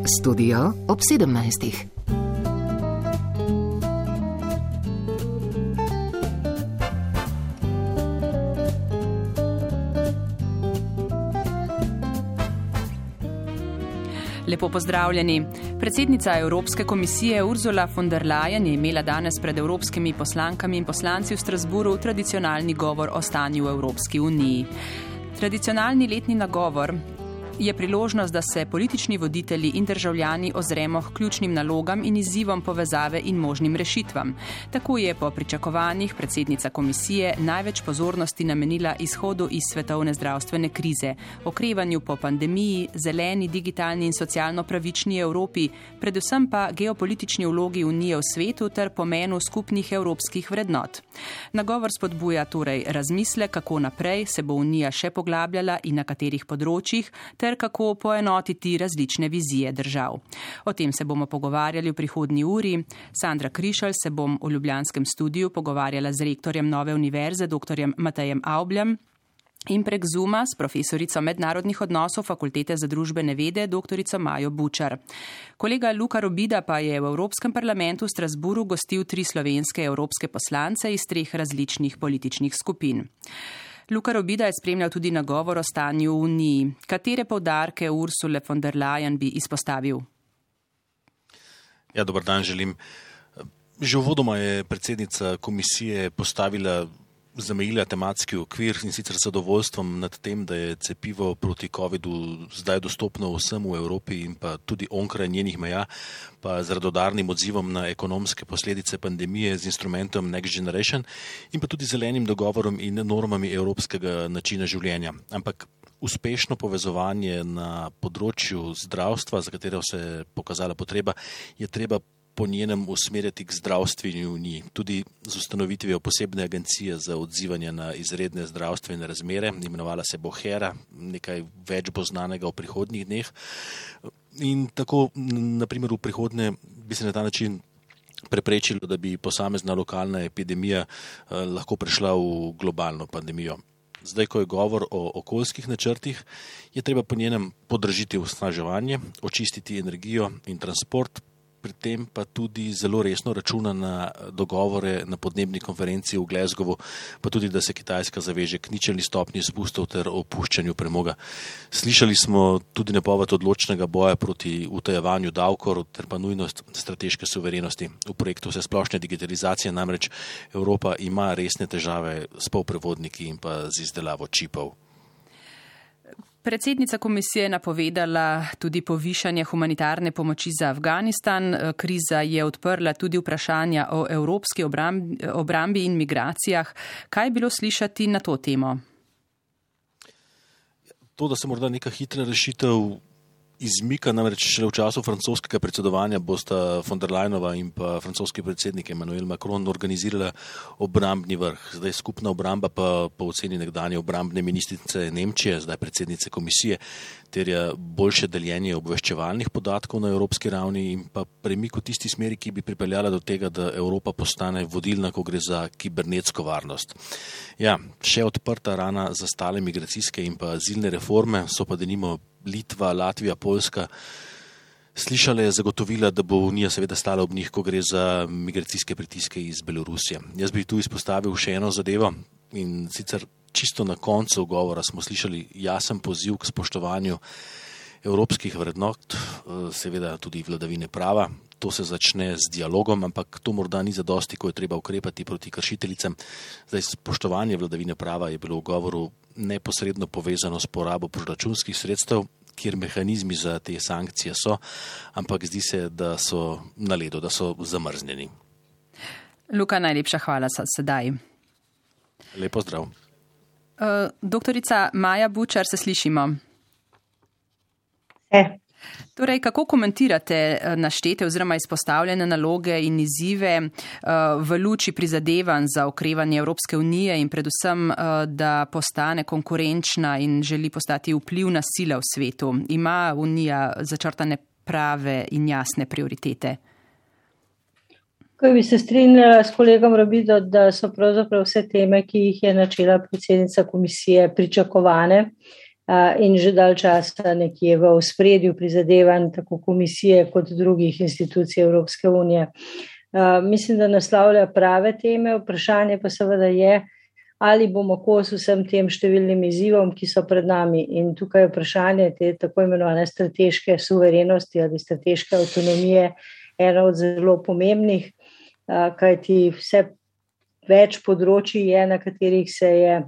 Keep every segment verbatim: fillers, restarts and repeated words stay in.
Studio ob sedemnajstih. Lepo pozdravljeni. Predsednica Evropske komisije Ursula von der Leyen je imela danes pred evropskimi poslankami in poslanci v Strasbourgu tradicionalni govor o stanju v Evropski uniji. Tradicionalni letni nagovor je priložnost, da se politični voditelji in državljani ozremo k ključnim nalogam in izzivom povezave in možnim rešitvam. Tako je po pričakovanjih predsednica komisije največ pozornosti namenila izhodu iz svetovne zdravstvene krize, okrevanju po pandemiji, zeleni, digitalni in socialno pravični Evropi, predvsem pa geopolitični vlogi Unije v svetu ter pomenu skupnih evropskih vrednot. Nagovor spodbuja torej razmisle, kako naprej se bo Unija še poglabljala in na katerih področjih, ter kako poenotiti različne vizije držav. O tem se bomo pogovarjali v prihodnji uri. Sandra Krišelj se bom v ljubljanskem studiu pogovarjala z rektorjem Nove univerze, doktorjem Matejem Avbljem, in prek Zooma s profesorico mednarodnih odnosov Fakultete za družbene vede, doktorico Majo Bučar. Kolega Luka Robida pa je v Evropskem parlamentu v Strasbourgu gostil tri slovenske evropske poslance iz treh različnih političnih skupin. Luka Robida je spremljal tudi nagovor o stanju v Uniji. Katere poudarke Ursule von der Leyen bi izpostavil? Ja, dober dan želim. Že uvodoma je predsednica komisije postavila, zamejila tematski okvir in sicer zadovoljstvom nad tem, da je cepivo proti covidu zdaj dostopno vsem v Evropi in pa tudi onkraj njenih meja, pa z radodarnim odzivom na ekonomske posledice pandemije z instrumentom Next Generation in pa tudi zelenim dogovorom in normami evropskega načina življenja. Ampak uspešno povezovanje na področju zdravstva, za katero se je pokazala potreba, je treba po njenem usmerjati k zdravstveni uniji, tudi z ustanovitvijo posebne agencije za odzivanje na izredne zdravstvene razmere, imenovala se bo HERA, nekaj več bo znanega v prihodnjih dneh. In tako, naprimer, v prihodnje bi se na ta način preprečilo, da bi posamezna lokalna epidemija eh, lahko prešla v globalno pandemijo. Zdaj, ko je govor o okoljskih načrtih, je treba po njenem podražiti osnaževanje, očistiti energijo in transport, pri tem pa tudi zelo resno računa na dogovore na podnebni konferenci v Glasgowu, pa tudi, da se Kitajska zaveže k ničelni stopnji izpustov ter opuščanju premoga. Slišali smo tudi napoved odločnega boja proti utajevanju davkov ter pa nujnost strateške suverenosti. V projektu vsesplošne digitalizacije namreč Evropa ima resne težave s polprevodniki in pa z izdelavo čipov. Predsednica komisije je napovedala tudi povišanje humanitarne pomoči za Afganistan. Kriza je odprla tudi vprašanja o evropski obrambi, obrambi in migracijah. Kaj je bilo slišati na to temo? To, da se morda neka hitra rešitev izmika, namreč šele v času francoskega predsedovanja bosta von der Leyenova in pa francoski predsednik Emmanuel Macron organizirala obrambni vrh. Zdaj skupna obramba pa po oceni nekdanje obrambne ministrice Nemčije, zdaj predsednice komisije, terja boljše deljenje obveščevalnih podatkov na evropski ravni in pa premik v tisti smeri, ki bi pripeljala do tega, da Evropa postane vodilna, ko gre za kibernetsko varnost. Ja, še odprta rana za stale migracijske in pa azilne reforme so pa denimo Litva, Latvija, Poljska slišala je zagotovila, da bo Unija seveda stala ob njih, ko gre za migracijske pritiske iz Belorusije. Jaz bi tu izpostavil še eno zadevo in sicer čisto na koncu govora smo slišali jasen poziv k spoštovanju evropskih vrednot, seveda tudi vladavine prava. To se začne z dialogom, ampak to morda ni zadosti, ko je treba ukrepati proti kršiteljicam. Zdaj, spoštovanje vladavine prava je bilo v govoru neposredno povezano s porabo proračunskih sredstev, kjer mehanizmi za te sankcije so, ampak zdi se, da so na ledu, da so zamrznjeni. Luka, najlepša hvala sedaj. Lepo zdrav. Uh, doktorica Maja Bučar, se slišimo? E. Torej, kako komentirate naštete oziroma izpostavljene naloge in izzive v luči prizadevanj za okrevanje Evropske unije in predvsem, da postane konkurenčna in želi postati vplivna sila v svetu? Ima Unija začrtane prave in jasne prioritete? Ko bi se strinjala s kolegom Robido, da so pravzaprav vse teme, ki jih je načela predsednica komisije, pričakovane in že dalj časa nekje v ospredju prizadevanj tako komisije kot drugih institucij Evropske unije. Mislim, da naslavlja prave teme, vprašanje pa seveda je, ali bomo kos vsem tem številnim izzivom, ki so pred nami. In tukaj je vprašanje te tako imenovane strateške suverenosti ali strateške avtonomije ena od zelo pomembnih, kajti vse več področij je, na katerih se je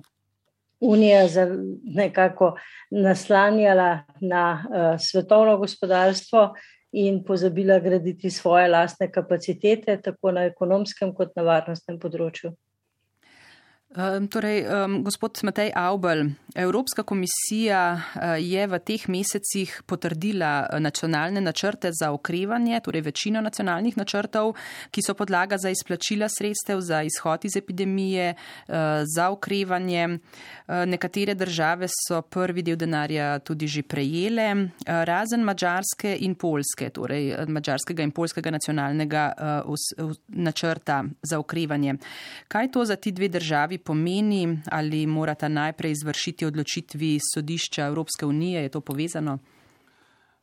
Unija nekako naslanjala na uh, svetovno gospodarstvo in pozabila graditi svoje lastne kapacitete, tako na ekonomskem kot na varnostnem področju. Um, torej, um, gospod Matej Avbelj, Evropska komisija uh, je v teh mesecih potrdila nacionalne načrte za okrevanje, torej večino nacionalnih načrtov, ki so podlaga za izplačila sredstev, za izhod iz epidemije, uh, za okrevanje. Uh, nekatere države so prvi del denarja tudi že prejele, uh, razen Madžarske in Poljske, torej Madžarskega in Poljskega nacionalnega uh, us, uh, načrta za okrevanje. Kaj to za ti dve državi pomeni, ali morata najprej izvršiti odločitvi sodišča Evropske unije? Je to povezano?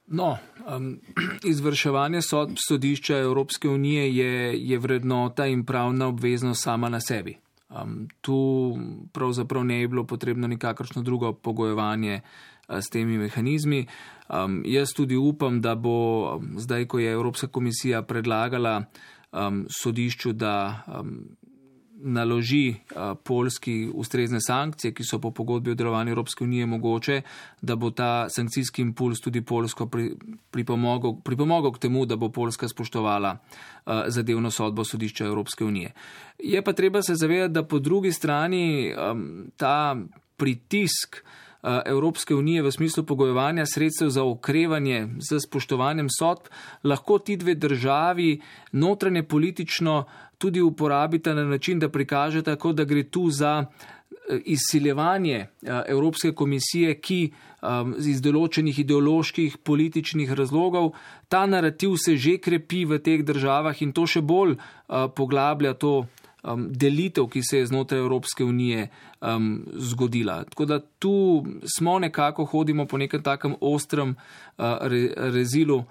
No, um, izvrševanje sodb sodišča Evropske unije je, je vrednota in pravna obveznost sama na sebi. Um, tu pravzaprav ne je bilo potrebno nikakršno drugo pogojevanje uh, s temi mehanizmi. Um, jaz tudi upam, da bo um, zdaj, ko je Evropska komisija predlagala um, sodišču, da um, naloži uh, Poljski ustrezne sankcije, ki so po pogodbi o delovanju Evropske unije mogoče, da bo ta sankcijski impuls tudi Poljsko pri, pripomogel, pripomogel k temu, da bo Poljska spoštovala uh, zadevno sodbo sodišča Evropske unije. Je pa treba se zavedati, da po drugi strani um, ta pritisk uh, Evropske unije v smislu pogojevanja sredstev za okrevanje z spoštovanjem sodb lahko ti dve državi notranje politično tudi uporabita na način, da prikažeta, kot da gre tu za izsiljevanje Evropske komisije, ki iz določenih ideoloških, političnih razlogov, ta narativ se že krepi v teh državah in to še bolj poglablja to delitev, ki se je znotraj Evropske unije zgodila. Tako da tu smo nekako hodimo po nekem takem ostrem rezilu,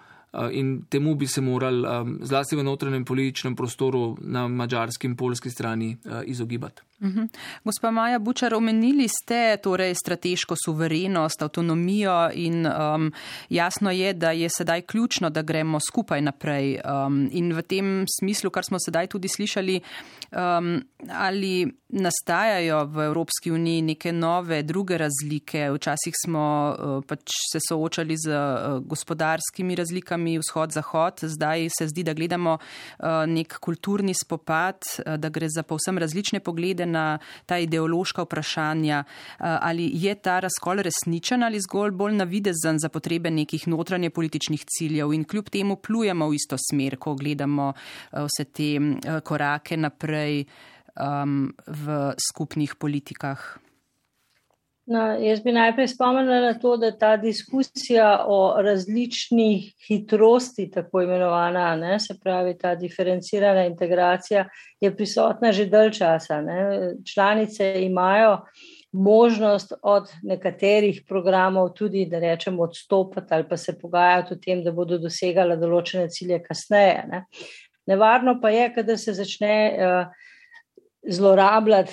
in temu bi se morali zlasti v notranjem političnem prostoru na madžarski in poljski strani izogibati. Uhum. Gospa Maja Bučar, omenili ste torej strateško suverenost, avtonomijo in um, jasno je, da je sedaj ključno, da gremo skupaj naprej. Um, in v tem smislu, kar smo sedaj tudi slišali, um, ali nastajajo v Evropski uniji neke nove, druge razlike. Včasih smo uh, pač se soočali z uh, gospodarskimi razlikami vzhod-zahod, zdaj se zdi, da gledamo uh, nek kulturni spopad, uh, da gre za povsem različne poglede na ta ideološka vprašanja. Ali je ta razkol resničen ali zgolj bolj navidezen za potrebe nekih notranje političnih ciljev in kljub temu plujemo v isto smer, ko gledamo vse te korake naprej um, v skupnih politikah? No, jaz bi najprej spomnila na to, da ta diskusija o različnih hitrosti, tako imenovana, ne, se pravi ta diferencirana integracija, je prisotna že dalj časa. Ne. Članice imajo možnost od nekaterih programov tudi, da rečemo, odstopati ali pa se pogajati o tem, da bodo dosegala določene cilje kasneje. Ne. Nevarno pa je, kada se začne uh, zlorabljati,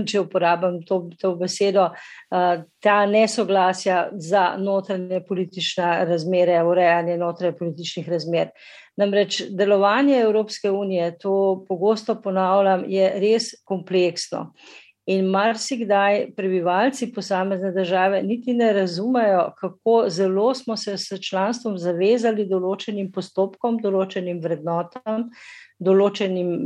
če uporabim to, to besedo, ta nesoglasja za notranje politične razmere, urejanje notranje političnih razmer. Namreč delovanje Evropske unije, to pogosto ponavljam, je res kompleksno. In marsikdaj prebivalci posamezne države niti ne razumejo, kako zelo smo se s članstvom zavezali določenim postopkom, določenim vrednotam, določenim,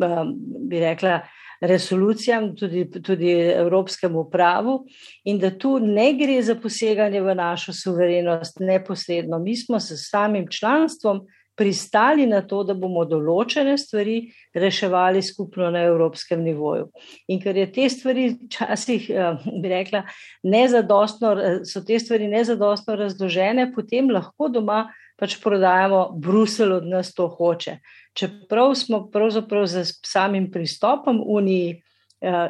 bi rekla, resolucijam, tudi, tudi evropskemu pravu in da tu ne gre za poseganje v našo suverenost neposredno. Mi smo s samim članstvom pristali na to, da bomo določene stvari reševali skupno na evropskem nivoju. In ker je te stvari včasih, bi rekla, nezadostno, so te stvari nezadostno razložene, potem lahko doma pač prodajamo, Bruselj od nas to hoče. Čeprav smo pravzaprav z samim pristopom Uniji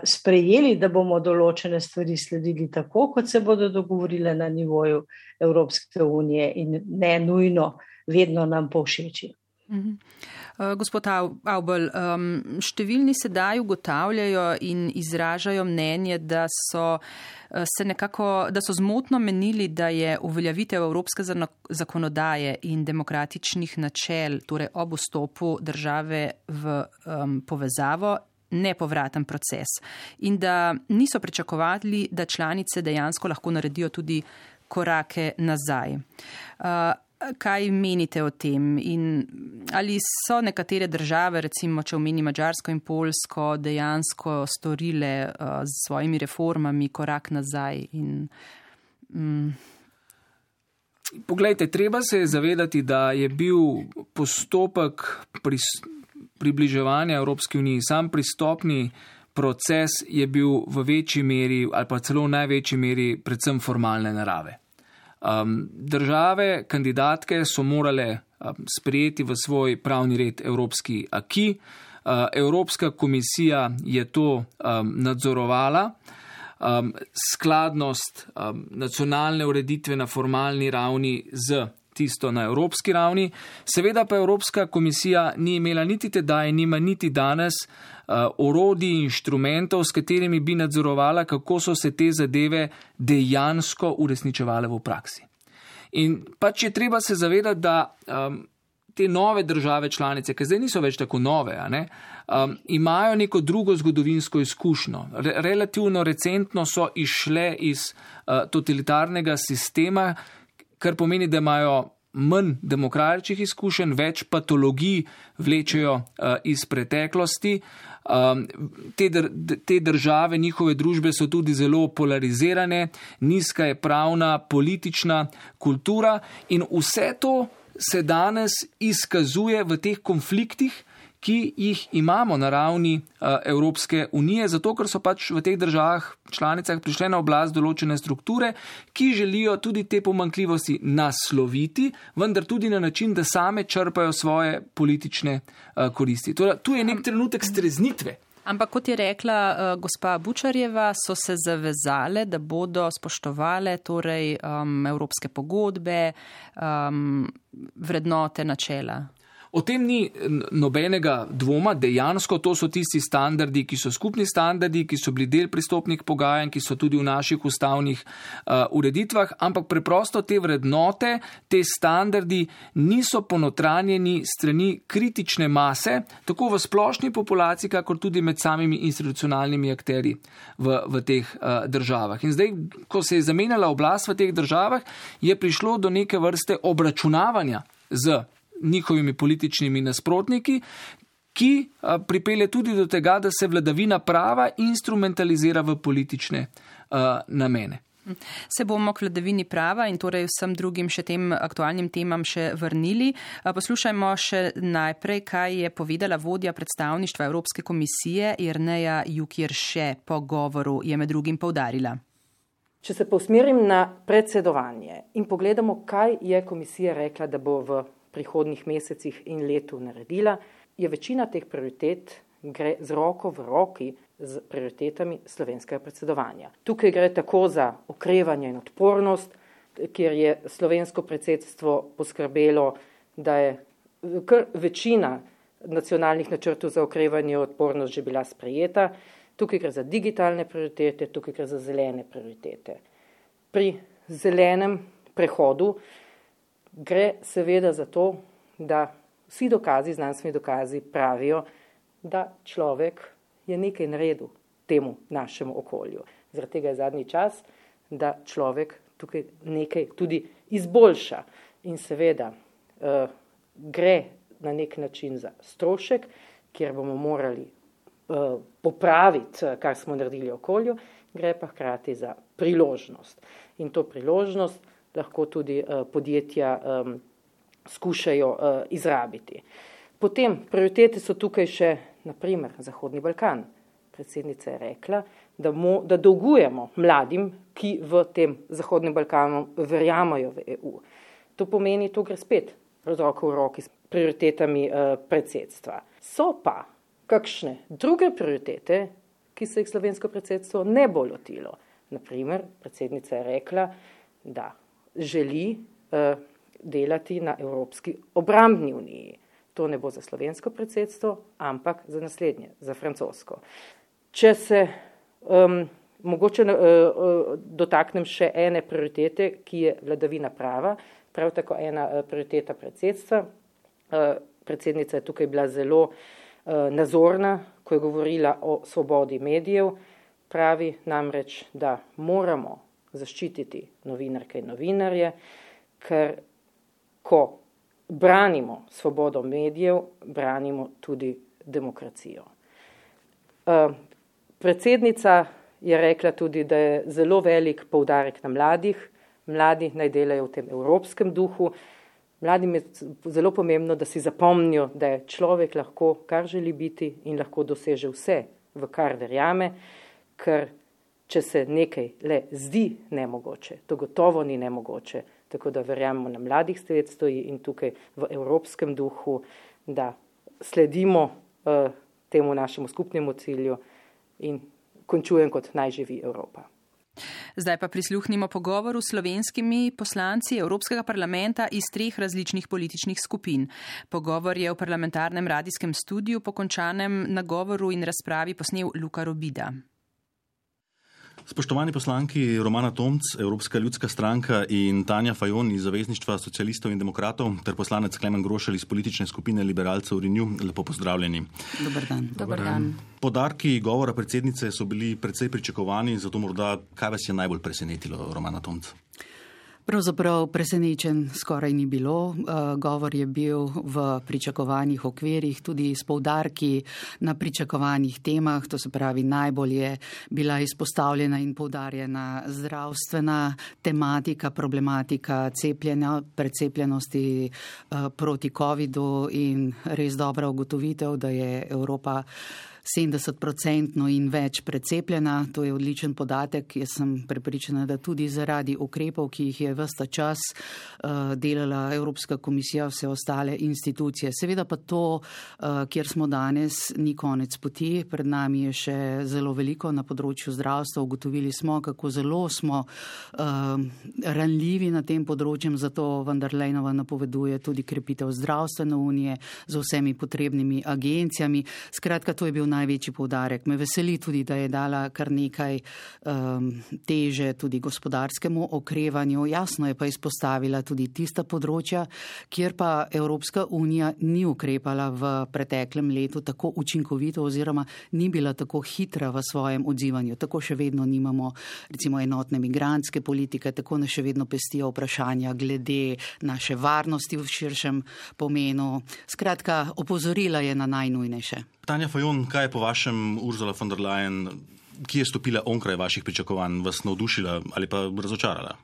sprejeli, da bomo določene stvari sledili tako, kot se bodo dogovorile na nivoju Evropske unije in ne nujno vedno nam povšeči. Mhm. Gospod Avbelj, številni sedaj ugotavljajo in izražajo mnenje, da so se nekako, da so zmotno menili, da je uveljavitev evropske zakonodaje in demokratičnih načel, torej ob vstopu države v um, povezavo, nepovraten proces in da niso pričakovali, da članice dejansko lahko naredijo tudi korake nazaj. Uh, Kaj menite o tem in ali so nekatere države, recimo če omeni Madžarsko in Poljsko, dejansko storile uh, z svojimi reformami korak nazaj? In, um... Poglejte, treba se je zavedati, da je bil postopek pris, približevanja Evropski uniji, sam pristopni proces je bil v večji meri ali pa celo v največji meri predvsem formalne narave. Um, države, kandidatke so morale um, sprejeti v svoj pravni red evropski aki. Uh, Evropska komisija je to um, nadzorovala. Um, skladnost um, nacionalne ureditve na formalni ravni z tisto na evropski ravni. Seveda pa Evropska komisija ni imela niti tedaj, nima niti danes uh, orodij in inštrumentov, s katerimi bi nadzorovala, kako so se te zadeve dejansko uresničevale v praksi. In pač je treba se zavedati, da um, te nove države članice, ki zdaj niso več tako nove, a ne, um, imajo neko drugo zgodovinsko izkušnjo. Re- relativno recentno so išle iz uh, totalitarnega sistema, kar pomeni, da imajo manj demokratičnih izkušenj, več patologij vlečejo uh, iz preteklosti. Um, te, dr- te države, njihove družbe so tudi zelo polarizirane, nizka je pravna, politična kultura in vse to se danes izkazuje v teh konfliktih, ki jih imamo na ravni uh, Evropske unije, zato ker so pač v teh državah članicah prišle na oblast določene strukture, ki želijo tudi te pomanjkljivosti nasloviti, vendar tudi na način, da same črpajo svoje politične uh, koristi. Torej, tu je nek trenutek streznitve. Ampak kot je rekla uh, gospa Bučarjeva, so se zavezale, da bodo spoštovale torej, um, evropske pogodbe, um, vrednote, načela. O tem ni nobenega dvoma, dejansko to so tisti standardi, ki so skupni standardi, ki so bili del pristopnih pogajanj, ki so tudi v naših ustavnih uh, ureditvah, ampak preprosto te vrednote, te standardi niso ponotranjeni strani kritične mase, tako v splošni populaciji, kakor tudi med samimi institucionalnimi akterji v, v teh uh, državah. In zdaj, ko se je zamenjala oblast v teh državah, je prišlo do neke vrste obračunavanja z njihovimi političnimi nasprotniki, ki pripelje tudi do tega, da se vladavina prava instrumentalizira v politične uh, namene. Se bomo k vladavini prava in torej vsem drugim še tem aktualnim temam še vrnili. Poslušajmo še najprej, kaj je povedala vodja predstavništva Evropske komisije Jerneja Jukjerše po govoru, je med drugim poudarila. Če se posmerim na predsedovanje in pogledamo, kaj je komisija rekla, da bo v prihodnih mesecih in letu naredila, je večina teh prioritet gre z roko v roki z prioritetami slovenskega predsedovanja. Tukaj gre tako za okrevanje in odpornost, kjer je slovensko predsedstvo poskrbelo, da je kar večina nacionalnih načrtov za okrevanje in odpornost že bila sprejeta. Tukaj gre za digitalne prioritete, tukaj gre za zelene prioritete. Pri zelenem prehodu gre seveda za to, da vsi dokazi, znanstveni dokazi pravijo, da človek je nekaj naredil temu našemu okolju. Zaradi tega je zadnji čas, da človek tukaj nekaj tudi izboljša. In seveda uh, gre na nek način za strošek, kjer bomo morali uh, popraviti, kar smo naredili okolju, gre pa hkrati za priložnost. In to priložnost lahko tudi uh, podjetja um, skušajo uh, izrabiti. Potem prioritete so tukaj še, naprimer, Zahodni Balkan. Predsednica je rekla, da, mo, da dolgujemo mladim, ki v tem Zahodnem Balkanu verjamajo v E U. To pomeni, to gre spet z roko v roki s prioritetami uh, predsedstva. So pa kakšne druge prioritete, ki se jih slovensko predsedstvo ne bo lotilo. Naprimer, predsednica je rekla, da želi uh, delati na Evropski obrambni uniji. To ne bo za slovensko predsedstvo, ampak za naslednje, za francosko. Če se um, mogoče uh, uh, dotaknem še ene prioritete, ki je vladavina prava, prav tako ena uh, prioriteta predsedstva. Uh, predsednica je tukaj bila zelo uh, nazorna, ko je govorila o svobodi medijev. Pravi namreč, da moramo zaščititi novinarke in novinarje, ker ko branimo svobodo medijev, branimo tudi demokracijo. Uh, predsednica je rekla tudi, da je zelo velik poudarek na mladih. Mladi naj delajo v tem evropskem duhu. Mladim je zelo pomembno, da si zapomnijo, da je človek lahko, kar želi biti in lahko doseže vse, v kar verjame, ker če se nekaj le zdi nemogoče, to gotovo ni nemogoče. Tako da verjamemo na mladih svet stoji in tukaj v evropskem duhu, da sledimo uh, temu našemu skupnemu cilju in končujem kot naj živi Evropa. Zdaj pa prisluhnimo pogovoru s slovenskimi poslanci Evropskega parlamenta iz treh različnih političnih skupin. Pogovor je v parlamentarnem radijskem studiu po končanem nagovoru in razpravi posnel Luka Robida. Spoštovani poslanki Romana Tomc, Evropska ljudska stranka in Tanja Fajon iz Zavezništva socialistov in demokratov ter poslanec Klemen Grošelj iz politične skupine liberalcev Renew, lepo pozdravljeni. Dobar dan. Dobar dan. Podarki govora predsednice so bili precej pričakovani, zato morda kaj vas je najbolj presenetilo, Romana Tomc? Pravzaprav presenečen skoraj ni bilo. Govor je bil v pričakovanih okvirih, tudi s poudarki na pričakovanih temah, to se pravi najbolj je bila izpostavljena in poudarjena zdravstvena tematika, problematika cepljenja, precepljenosti proti covidu in res dobra ugotovitev, da je Evropa sedemdeset odstotkov in več precepljena. To je odličen podatek. Jaz sem prepričana, da tudi zaradi ukrepov, ki jih je ves ta čas uh, delala Evropska komisija, vse ostale institucije. Seveda pa to, uh, kjer smo danes, ni konec poti. Pred nami je še zelo veliko na področju zdravstva. Ugotovili smo, kako zelo smo uh, ranljivi na tem področjem, zato von der Leyenova napoveduje tudi krepitev zdravstvene unije z vsemi potrebnimi agencijami. Skratka, to je bil največji poudarek. Me veseli tudi, da je dala kar nekaj um, teže tudi gospodarskemu okrevanju. Jasno je pa izpostavila tudi tista področja, kjer pa Evropska unija ni ukrepala v preteklem letu tako učinkovito oziroma ni bila tako hitra v svojem odzivanju. Tako še vedno nimamo recimo enotne migrantske politike, tako nas še vedno pestijo vprašanja glede naše varnosti v širšem pomenu. Skratka, opozorila je na najnujnejše. Tanja Fajon, kaj je po vašem Ursula von der Leyen, ki je stopila onkraj vaših pričakovanj, vas navdušila ali pa razočarala?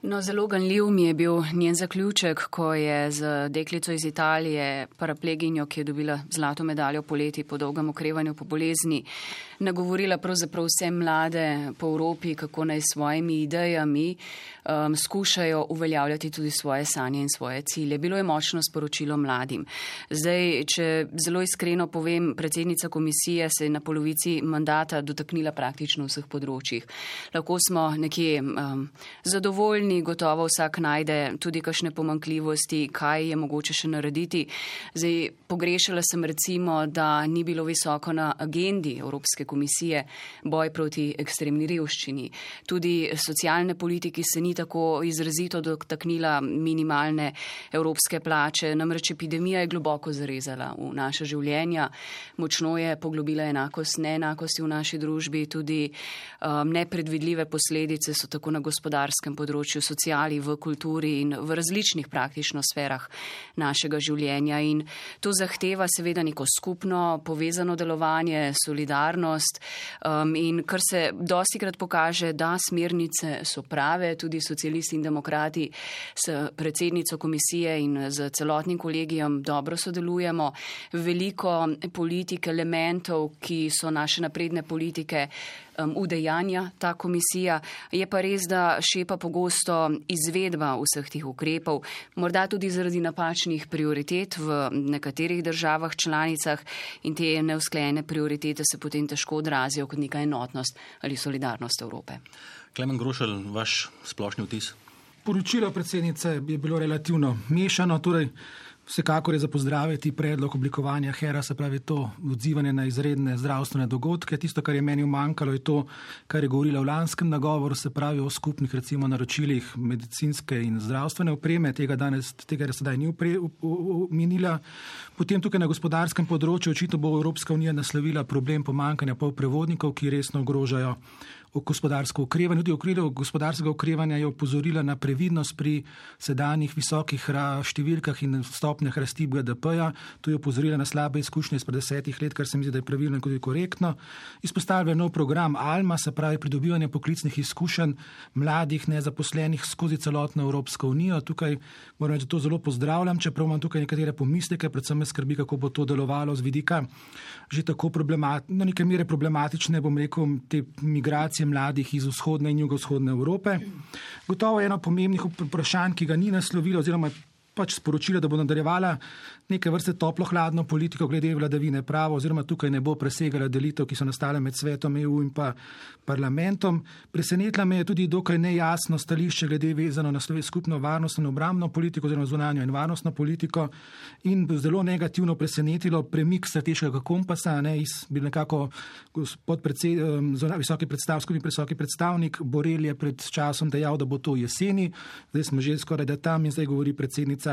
No, zelo ganljiv mi je bil njen zaključek, ko je z deklico iz Italije, parapleginjo, ki je dobila zlato medaljo poleti po dolgem okrevanju po bolezni, nagovorila pravzaprav vse mlade po Evropi, kako naj s svojimi idejami um, skušajo uveljavljati tudi svoje sanje in svoje cilje. Bilo je močno sporočilo mladim. Zdaj, če zelo iskreno povem, predsednica komisije se je na polovici mandata dotaknila praktično vseh področjih. Lahko smo nekje um, zadovoljni, gotovo vsak najde tudi kakšne pomanjkljivosti, kaj je mogoče še narediti. Zdaj, pogrešala sem recimo, da ni bilo visoko na agendi Evropske komisije boj proti ekstremni revščini. Tudi socialne politiki se ni tako izrazito dotaknila minimalne evropske plače, namreč epidemija je globoko zarezala v naša življenja, močno je poglobila enakost, neenakosti v naši družbi, tudi um, nepredvidljive posledice so tako na gospodarskem področju, sociali, v kulturi in v različnih praktično sferah našega življenja. In to zahteva seveda neko skupno, povezano delovanje, solidarnost um, in kar se dostikrat pokaže, da smernice so prave, tudi socialisti in demokrati s predsednico komisije in z celotnim kolegijom dobro sodelujemo. Veliko politik, elementov, ki so naše napredne politike, um, udejanja ta komisija. Je pa res, da šepa pogosto pogosto izvedba vseh teh ukrepov, morda tudi zaradi napačnih prioritet v nekaterih državah članicah in te neusklajene prioritete se potem težko odrazijo kot neka enotnost ali solidarnost Evrope. Klemen Grošelj, vaš splošni vtis? Poročilo predsednice je bilo relativno mešano, torej vsekakor je za pozdraviti predlog oblikovanja H E R A, se pravi to odzivanje na izredne zdravstvene dogodke. Tisto, kar je meni umanjkalo, je to, kar je govorila v lanskem nagovoru, se pravi o skupnih recimo naročilih medicinske in zdravstvene opreme, tega danes, tega sedaj ni omenila. Potem tukaj na gospodarskem področju očitno bo Evropska unija naslovila problem pomanjkanja polprevodnikov, ki resno ogrožajo gospodarsko okrevanje. Tudi v okviru gospodarskega okrevanja je opozorila na previdnost pri sedanjih visokih številkah in stopnjah rasti B D P-ja. Tu je opozorila na slabe izkušnje izpred desetih let, kar se mi zdi, da je pravilno in tudi korektno. Izpostavlja nov program ALMA, se pravi pridobivanje poklicnih izkušenj mladih nezaposlenih skozi celotno Evropsko unijo. Tukaj moram reči, da to zelo pozdravljam, čeprav imam tukaj nekatere pomisleke, predvsem me skrbi, kako bo to delovalo z vidika že tako problematične, no, neke mere problematične, bom rekel, te migracije mladih iz vzhodne in jugovzhodne Evrope. Gotovo je eno pomembnih vprašanj, ki ga ni naslovila oziroma pač sporočila, da bo nadaljevala neke vrste toplo-hladno politiko glede vladavine prava oziroma tukaj ne bo presegala delitev, ki so nastale med svetom E U in pa parlamentom. Presenetila me je tudi dokaj nejasno stališče glede vezano na skupno varnostno in obrambno politiko oziroma zunanjo in varnostno politiko in zelo negativno presenetilo premik strateškega kompasa, ne, iz bi nekako visoki predstav, skupni visoki predstavnik Borrell je pred časom dejal, da bo to jeseni, zdaj smo že skoraj da tam in zdaj govori predsednica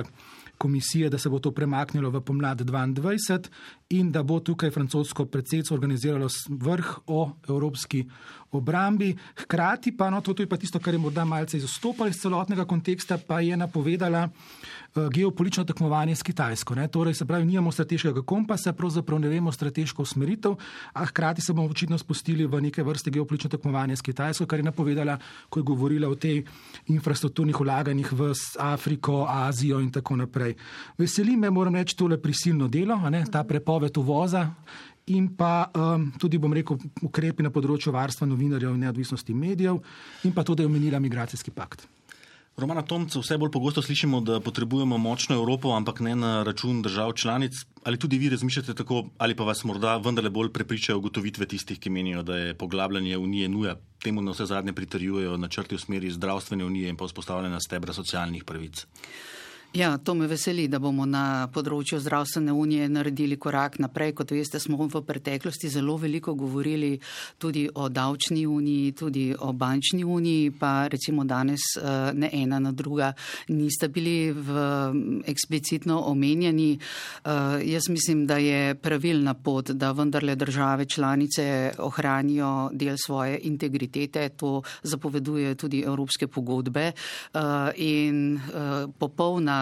komisije, da se bo to premaknilo v pomlad dvaindvajset in da bo tukaj francosko predsedstvo organiziralo vrh o evropski obrambi. Hkrati pa, no, to, to je pa tisto, kar je morda malce izstopalo iz celotnega konteksta, pa je napovedala uh, geopolitično tekmovanje s Kitajsko. Ne? Torej, se pravi, nimamo strateškega kompasa, pravzaprav ne vemo strateško usmeritev, a hkrati se bomo očitno spustili v neke vrste geopolitično tekmovanje s Kitajsko, kar je napovedala, ko je govorila o tej infrastrukturnih vlaganjih v Afriko, Azijo in tako naprej. Veseli me, moram reči, tole prisilno delo, a ne? Ta prepoved uvoza in pa um, tudi, bom rekel, ukrepi na področju varstva novinarjev in neodvisnosti medijev in pa to, da je omenila migracijski pakt. Romana Tomc, vse bolj pogosto slišimo, da potrebujemo močno Evropo, ampak ne na račun držav članic. Ali tudi vi razmišljate tako, ali pa vas morda vendarle bolj prepričajo ugotovitve tistih, ki menijo, da je poglabljanje unije nuja? Temu na vse zadnje pritrjujejo načrti v smeri zdravstvene unije in pa vzpostavljanja stebra socialnih pravic. Ja, to me veseli, da bomo na področju zdravstvene unije naredili korak naprej. Kot veste, smo v preteklosti zelo veliko govorili tudi o davčni uniji, tudi o bančni uniji, pa recimo danes ne ena na druga nista bili v eksplicitno omenjeni. Jaz mislim, da je pravilna pot, da vendarle države članice ohranijo del svoje integritete. To zapoveduje tudi evropske pogodbe in popolna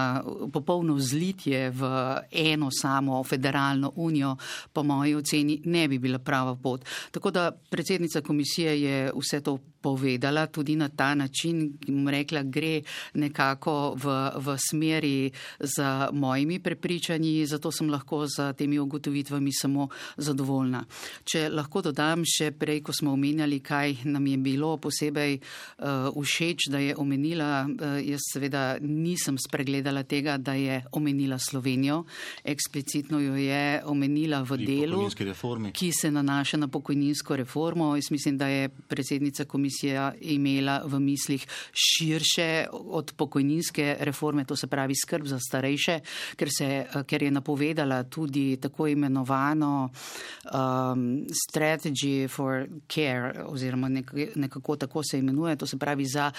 popolno zlitje v eno samo federalno unijo po moji oceni ne bi bila prava pot. Tako da predsednica komisije je vse to povedala tudi na ta način, bom rekla, gre nekako v, v smeri z mojimi prepričanji, zato sem lahko za temi ugotovitvami samo zadovoljna. Če lahko dodam še prej, ko smo omenjali, kaj nam je bilo posebej uh, všeč, da je omenila, uh, jaz seveda nisem spregledala tega, da je omenila Slovenijo, eksplicitno jo je omenila v delu, ki se nanaša na pokojninsko reformo. Jaz mislim, da je predsednica komisije imela v mislih širše od pokojninske reforme, to se pravi skrb za starejše, ker, se, ker je napovedala tudi tako imenovano um, strategy for care oziroma nek, nekako tako se imenuje, to se pravi za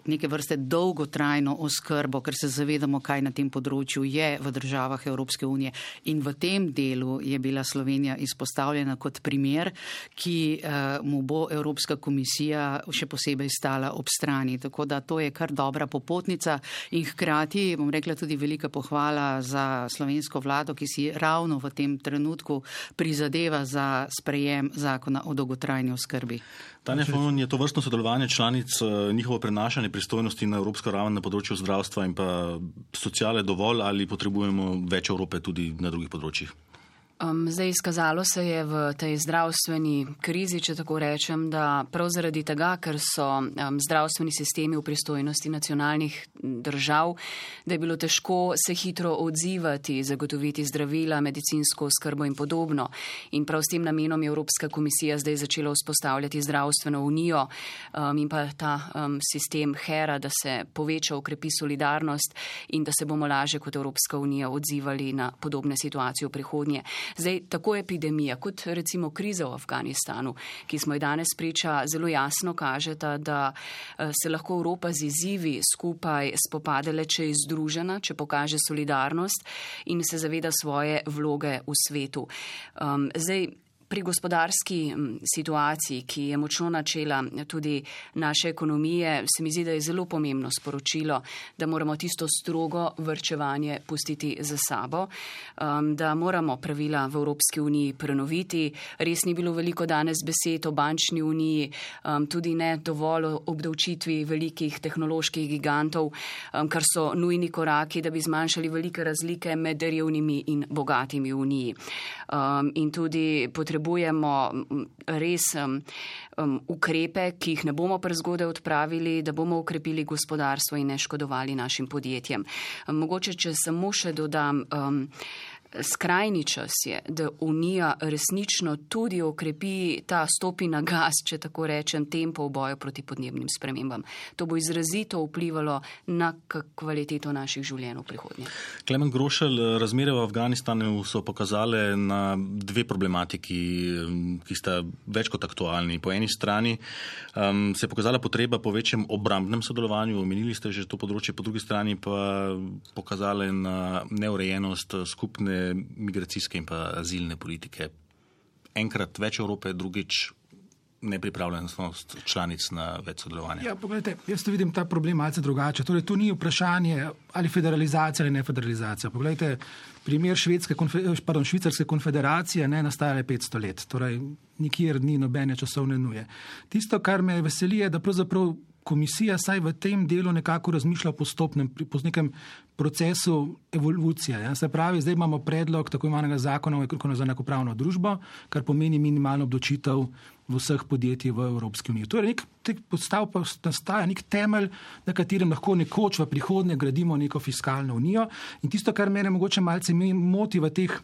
neke vrste dolgotrajno oskrbo, ker se zavedamo, kaj na tem področju je v državah Evropske unije. In v tem delu je bila Slovenija izpostavljena kot primer, ki uh, mu bo Evropska komisija še posebej stala ob strani. Tako da to je kar dobra popotnica in hkrati, bom rekla, tudi velika pohvala za slovensko vlado, ki si ravno v tem trenutku prizadeva za sprejem zakona o dolgotrajni oskrbi. Tanja Fajon, je to vrstno sodelovanje članic, njihovo prenašanje pristojnosti na evropsko raven na področju zdravstva in pa sociale dovolj ali potrebujemo več Evrope tudi na drugih področjih? Um, zdaj, izkazalo se je v tej zdravstveni krizi, če tako rečem, da prav zaradi tega, ker so um, zdravstveni sistemi v pristojnosti nacionalnih držav, da je bilo težko se hitro odzivati, zagotoviti zdravila, medicinsko oskrbo in podobno. In prav s tem namenom je Evropska komisija zdaj začela vzpostavljati zdravstveno unijo um, in pa ta um, sistem HERA, da se poveča, ukrepi solidarnost in da se bomo lažje kot Evropska unija odzivali na podobne situacije v prihodnje. Zdaj, tako epidemija kot recimo kriza v Afganistanu, ki smo jo danes priča, zelo jasno kažeta, da se lahko Evropa z izzivi skupaj spopade le, če je združena, če pokaže solidarnost in se zaveda svoje vloge v svetu. Um, zdaj, pri gospodarski situaciji, ki je močno načela tudi naše ekonomije, se mi zdi, da je zelo pomembno sporočilo, da moramo tisto strogo varčevanje pustiti za sabo, da moramo pravila v Evropski uniji prenoviti. Res ni bilo veliko danes besed o bančni uniji, tudi ne dovolj o obdavčitvi velikih tehnoloških gigantov, kar so nujni koraki, da bi zmanjšali velike razlike med revnimi in bogatimi v uniji. In tudi potrebujemo Potrebujemo res um, um, ukrepe, ki jih ne bomo prezgodaj odpravili, da bomo ukrepili gospodarstvo in ne škodovali našim podjetjem. Um, mogoče, če samo še dodam, um, skrajni čas je, da Unija resnično tudi okrepi ta stopi na gas, če tako rečem, tempo v boju proti podnebnim spremembam. To bo izrazito vplivalo na kvaliteto naših življenj v prihodnje. Klemen Grošelj, razmere v Afganistanu so pokazale na dve problematiki, ki sta več kot aktualni. Po eni strani um, se je pokazala potreba po večjem obrambnem sodelovanju, omenili ste že to področje, po drugi strani pa pokazale na neurejenost skupne migracijske in pa azilne politike. Enkrat več Evrope, drugič nepripravljenost članic na več sodelovanja. Ja, pogledajte, jaz to vidim ta problem malce drugače. Torej, tu ni vprašanje ali federalizacija ali nefederalizacija. Pogledajte, primer švedske, pardon, švicarske konfederacije ne nastajale petsto let. Torej, nikjer ni nobene časovne nuje. Tisto, kar me veseli, je, da pravzaprav komisija saj v tem delu nekako razmišlja o postopnem, po nekem procesu evolucije. Ja. Se pravi, zdaj imamo predlog tako imenega zakona za enakopravno družbo, kar pomeni minimalno obdavčitev vseh podjetij v Evropski uniji. Torej, nek podstav pa nastaja nek temelj, na katerem lahko nekoč v prihodnje gradimo neko fiskalno unijo. In tisto, kar mene mogoče malce moti v teh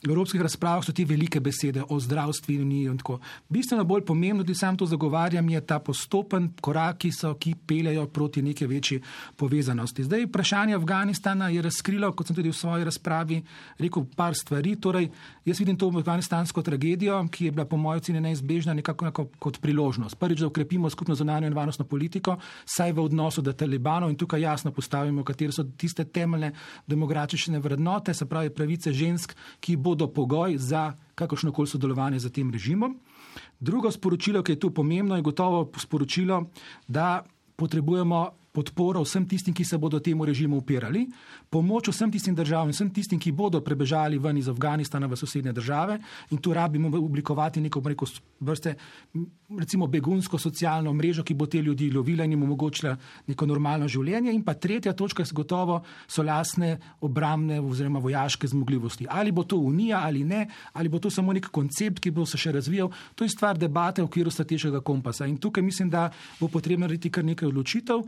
evropskih razpravah, so te velike besede o zdravstveni uniji in tako. Bistveno bolj pomembno, da sam to zagovarjam, je ta postopen korak, ki so, ki peljajo proti neke večji povezanosti. Zdaj, vprašanje Afganistana je razkrilo, kot sem tudi v svoji razpravi rekel, par stvari. Torej, jaz vidim to afganistansko tragedijo, ki je bila po moji oceni neizbežna nekako, nekako kot priložnost. Prvič, da ukrepimo skupno zunanjo in varnostno politiko, saj v odnosu do Talibanov in tukaj jasno postavimo, katere so tiste temeljne demokratične vrednote, se pravi pravice žensk, ki bodo pogoj za kakršnokoli sodelovanje z tem režimom. Drugo sporočilo, ki je tu pomembno, je gotovo sporočilo, da potrebujemo podporo vsem tistim, ki se bodo temu režimu upirali, pomoč vsem tistim državam, vsem tistim, ki bodo prebežali ven iz Afganistana v sosednje države in tu rabimo oblikovati neko, neko vrste, recimo begunsko socialno mrežo, ki bo te ljudi lovila in jim omogočila neko normalno življenje. In pa tretja točka gotovo so lastne obrambne oziroma vojaške zmogljivosti. Ali bo to unija ali ne, ali bo to samo nek koncept, ki bo se še razvijal, to je stvar debate v okviru strateškega kompasa. In tukaj mislim, da bo potrebno narediti kar nekaj odločitev.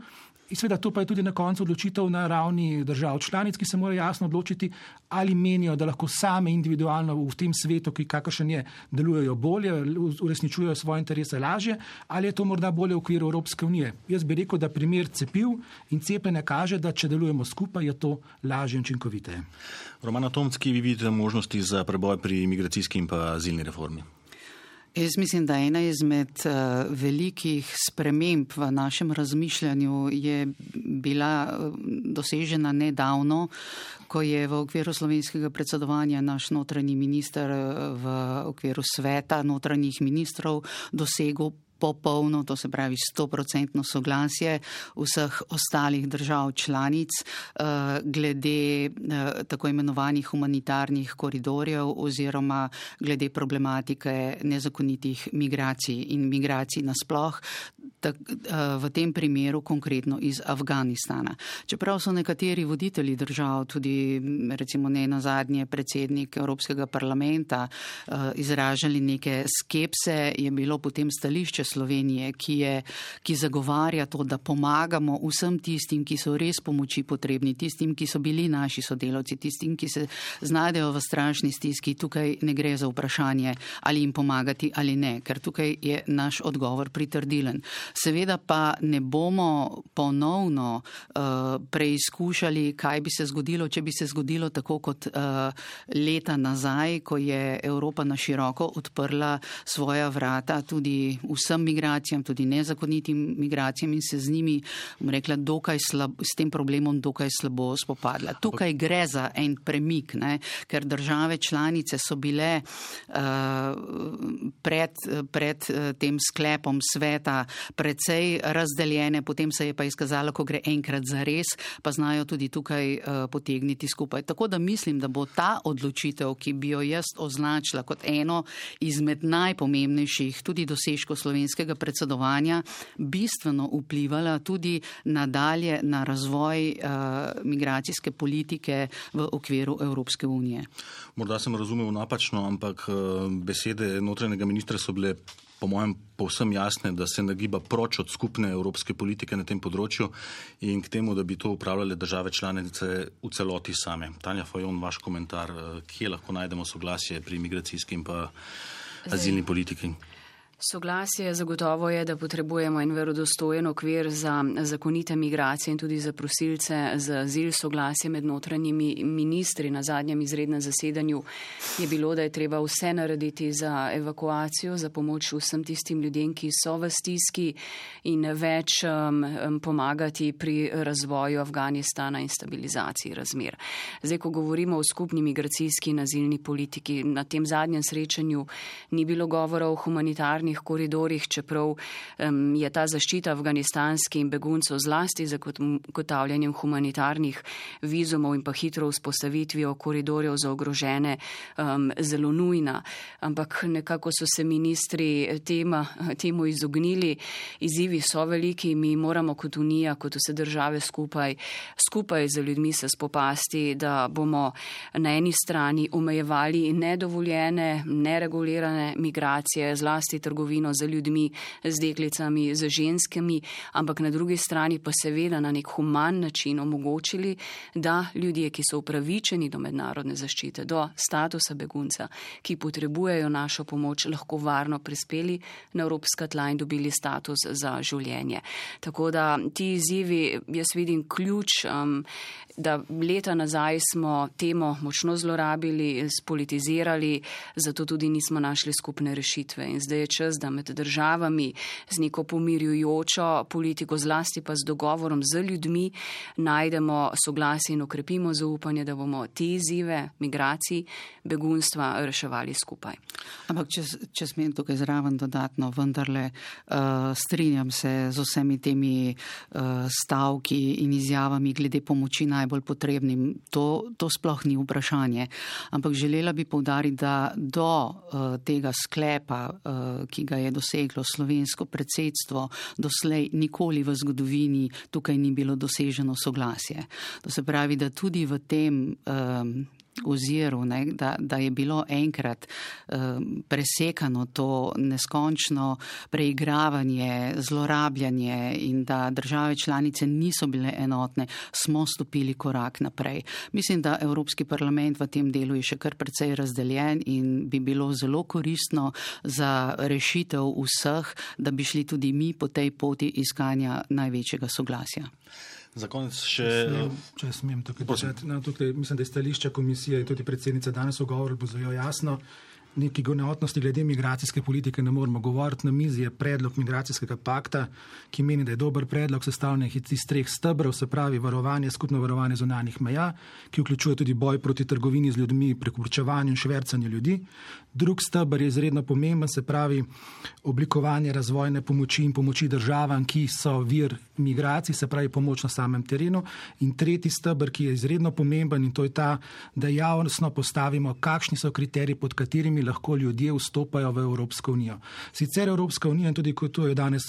In seveda to pa je tudi na koncu odločitev na ravni držav članic, ki se morajo jasno odločiti, ali menijo, da lahko same individualno v tem svetu, ki kakršen je, delujejo bolje, uresničujejo svoje interese lažje, ali je to morda bolje v okviru Evropske unije. Jaz bi rekel, da primer cepiv in cepljenja kaže, da če delujemo skupaj, je to lažje in učinkoviteje. Romana Tomc, kje vi vidite možnosti za preboj pri migracijski in pa azilni reformi? Jaz mislim, da ena izmed uh, velikih sprememb v našem razmišljanju je bila uh, dosežena nedavno, ko je v okviru slovenskega predsedovanja naš notranji minister uh, v okviru sveta notranjih ministrov dosegel popolno, to se pravi stoprocentno soglasje vseh ostalih držav članic glede tako imenovanih humanitarnih koridorjev oziroma glede problematike nezakonitih migracij in migracij nasploh. tak, v tem primeru konkretno iz Afganistana. Čeprav so nekateri voditelji držav, tudi recimo ne nazadnje predsednik Evropskega parlamenta, izražali neke skepse, je bilo potem stališče Slovenije, ki, je, ki zagovarja to, da pomagamo vsem tistim, ki so res pomoči potrebni, tistim, ki so bili naši sodelavci, tistim, ki se znajdejo v strašni stiski. Tukaj ne gre za vprašanje, ali jim pomagati ali ne, ker tukaj je naš odgovor pritrdilen. Seveda pa ne bomo ponovno uh, preizkušali, kaj bi se zgodilo, če bi se zgodilo tako kot uh, leta nazaj, ko je Evropa na široko odprla svoja vrata tudi vsem migracijam, tudi nezakonitim migracijam in se z njimi, bom rekla, dokaj slab, s tem problemom dokaj slabo spopadla. Tukaj gre za en premik, ne, ker države članice so bile uh, pred, pred tem sklepom sveta precej razdeljene, potem se je pa izkazalo, ko gre enkrat za res, pa znajo tudi tukaj uh, potegniti skupaj. Tako da mislim, da bo ta odločitev, ki bi jo jaz označila kot eno izmed najpomembnejših tudi dosežkov slovenskega predsedovanja, bistveno vplivala tudi nadalje na razvoj uh, migracijske politike v okviru Evropske unije. Morda sem razumel napačno, ampak besede notranjega ministra so bile po mojem povsem jasne, da se nagiba proč od skupne evropske politike na tem področju in k temu, da bi to upravljale države članice v celoti same. Tanja Fajon, vaš komentar, kje lahko najdemo soglasje pri migracijski in pa azilni politiki? Soglasje zagotovo je, da potrebujemo en verodostojen okvir za zakonite migracije in tudi za prosilce za azil. Soglasje med notranjimi ministri na zadnjem izrednem zasedanju je bilo, da je treba vse narediti za evakuacijo, za pomoč vsem tistim ljudem, ki so v stiski in več um, pomagati pri razvoju Afganistana in stabilizaciji razmer. Zdaj, ko govorimo o skupni migracijski in azilni politiki, na tem zadnjem srečanju ni bilo govora o humanitarni koridorjih, čeprav um, je ta zaščita afganistanskih beguncev zlasti za zagotavljanjem humanitarnih vizumov in pa hitro vzpostavitvijo koridorjev za ogrožene um, zelo nujna. Ampak nekako so se ministri tema, temu izognili. Izzivi so veliki, mi moramo kot Unija, kot vse države skupaj, skupaj z ljudmi se spopasti, da bomo na eni strani omejevali nedovoljene, neregulirane migracije, zlasti trgovine za ljudmi, z deklicami, z ženskami, ampak na drugi strani pa seveda na nek human način omogočili, da ljudje, ki so upravičeni do mednarodne zaščite, do statusa begunca, ki potrebujejo našo pomoč, lahko varno prispeli na evropska tla in dobili status za življenje. Tako da ti izzivi, jaz vidim ključ, um, da leta nazaj smo temo močno zlorabili, spolitizirali, zato tudi nismo našli skupne rešitve. In zdaj je čas, da med državami z neko pomirjujočo politiko, zlasti pa z dogovorom z ljudmi, najdemo soglasje in okrepimo zaupanje, da bomo te izzive migracij, begunstva reševali skupaj. Ampak, če, če smem tukaj zraven dodatno, vendarle uh, strinjam se z vsemi temi uh, stavki in izjavami glede pomoči najbolj potrebnim. To, to sploh ni vprašanje. Ampak želela bi poudariti, da do uh, tega sklepa, uh, ki ga je doseglo slovensko predsedstvo, doslej nikoli v zgodovini tukaj ni bilo doseženo soglasje. To se pravi, da tudi v tem um, oziru, ne, da, da je bilo enkrat um, presekano to neskončno preigravanje, zlorabljanje in da države članice niso bile enotne, smo stopili korak naprej. Mislim, da Evropski parlament v tem delu je še kar precej razdeljen in bi bilo zelo koristno za rešitev vseh, da bi šli tudi mi po tej poti iskanja največjega soglasja. Za konec še... Če smem tukaj početi. No, tukaj mislim, da je stališče komisije in tudi predsednica danes v govoru bo zelo jasno. Neki gonotnosti glede migracijske politike ne moramo govoriti. Na mizi je predlog migracijskega pakta, ki meni, da je dober predlog sestavljen iz treh stebrov, se pravi varovanje, skupno varovanje zunanjih meja, ki vključuje tudi boj proti trgovini z ljudmi, prekoračevanju in švercanju ljudi. Drug stebr je izredno pomemben, se pravi oblikovanje razvojne pomoči in pomoči državam, ki so vir migracij, se pravi pomoč na samem terenu. In tretji stebr, ki je izredno pomemben, in to je ta, da javnostno postavimo, kakšni so kriteriji, pod katerimi katerimi lahko ljudje vstopajo v Evropsko unijo. Sicer Evropska unija, in tudi kot to je danes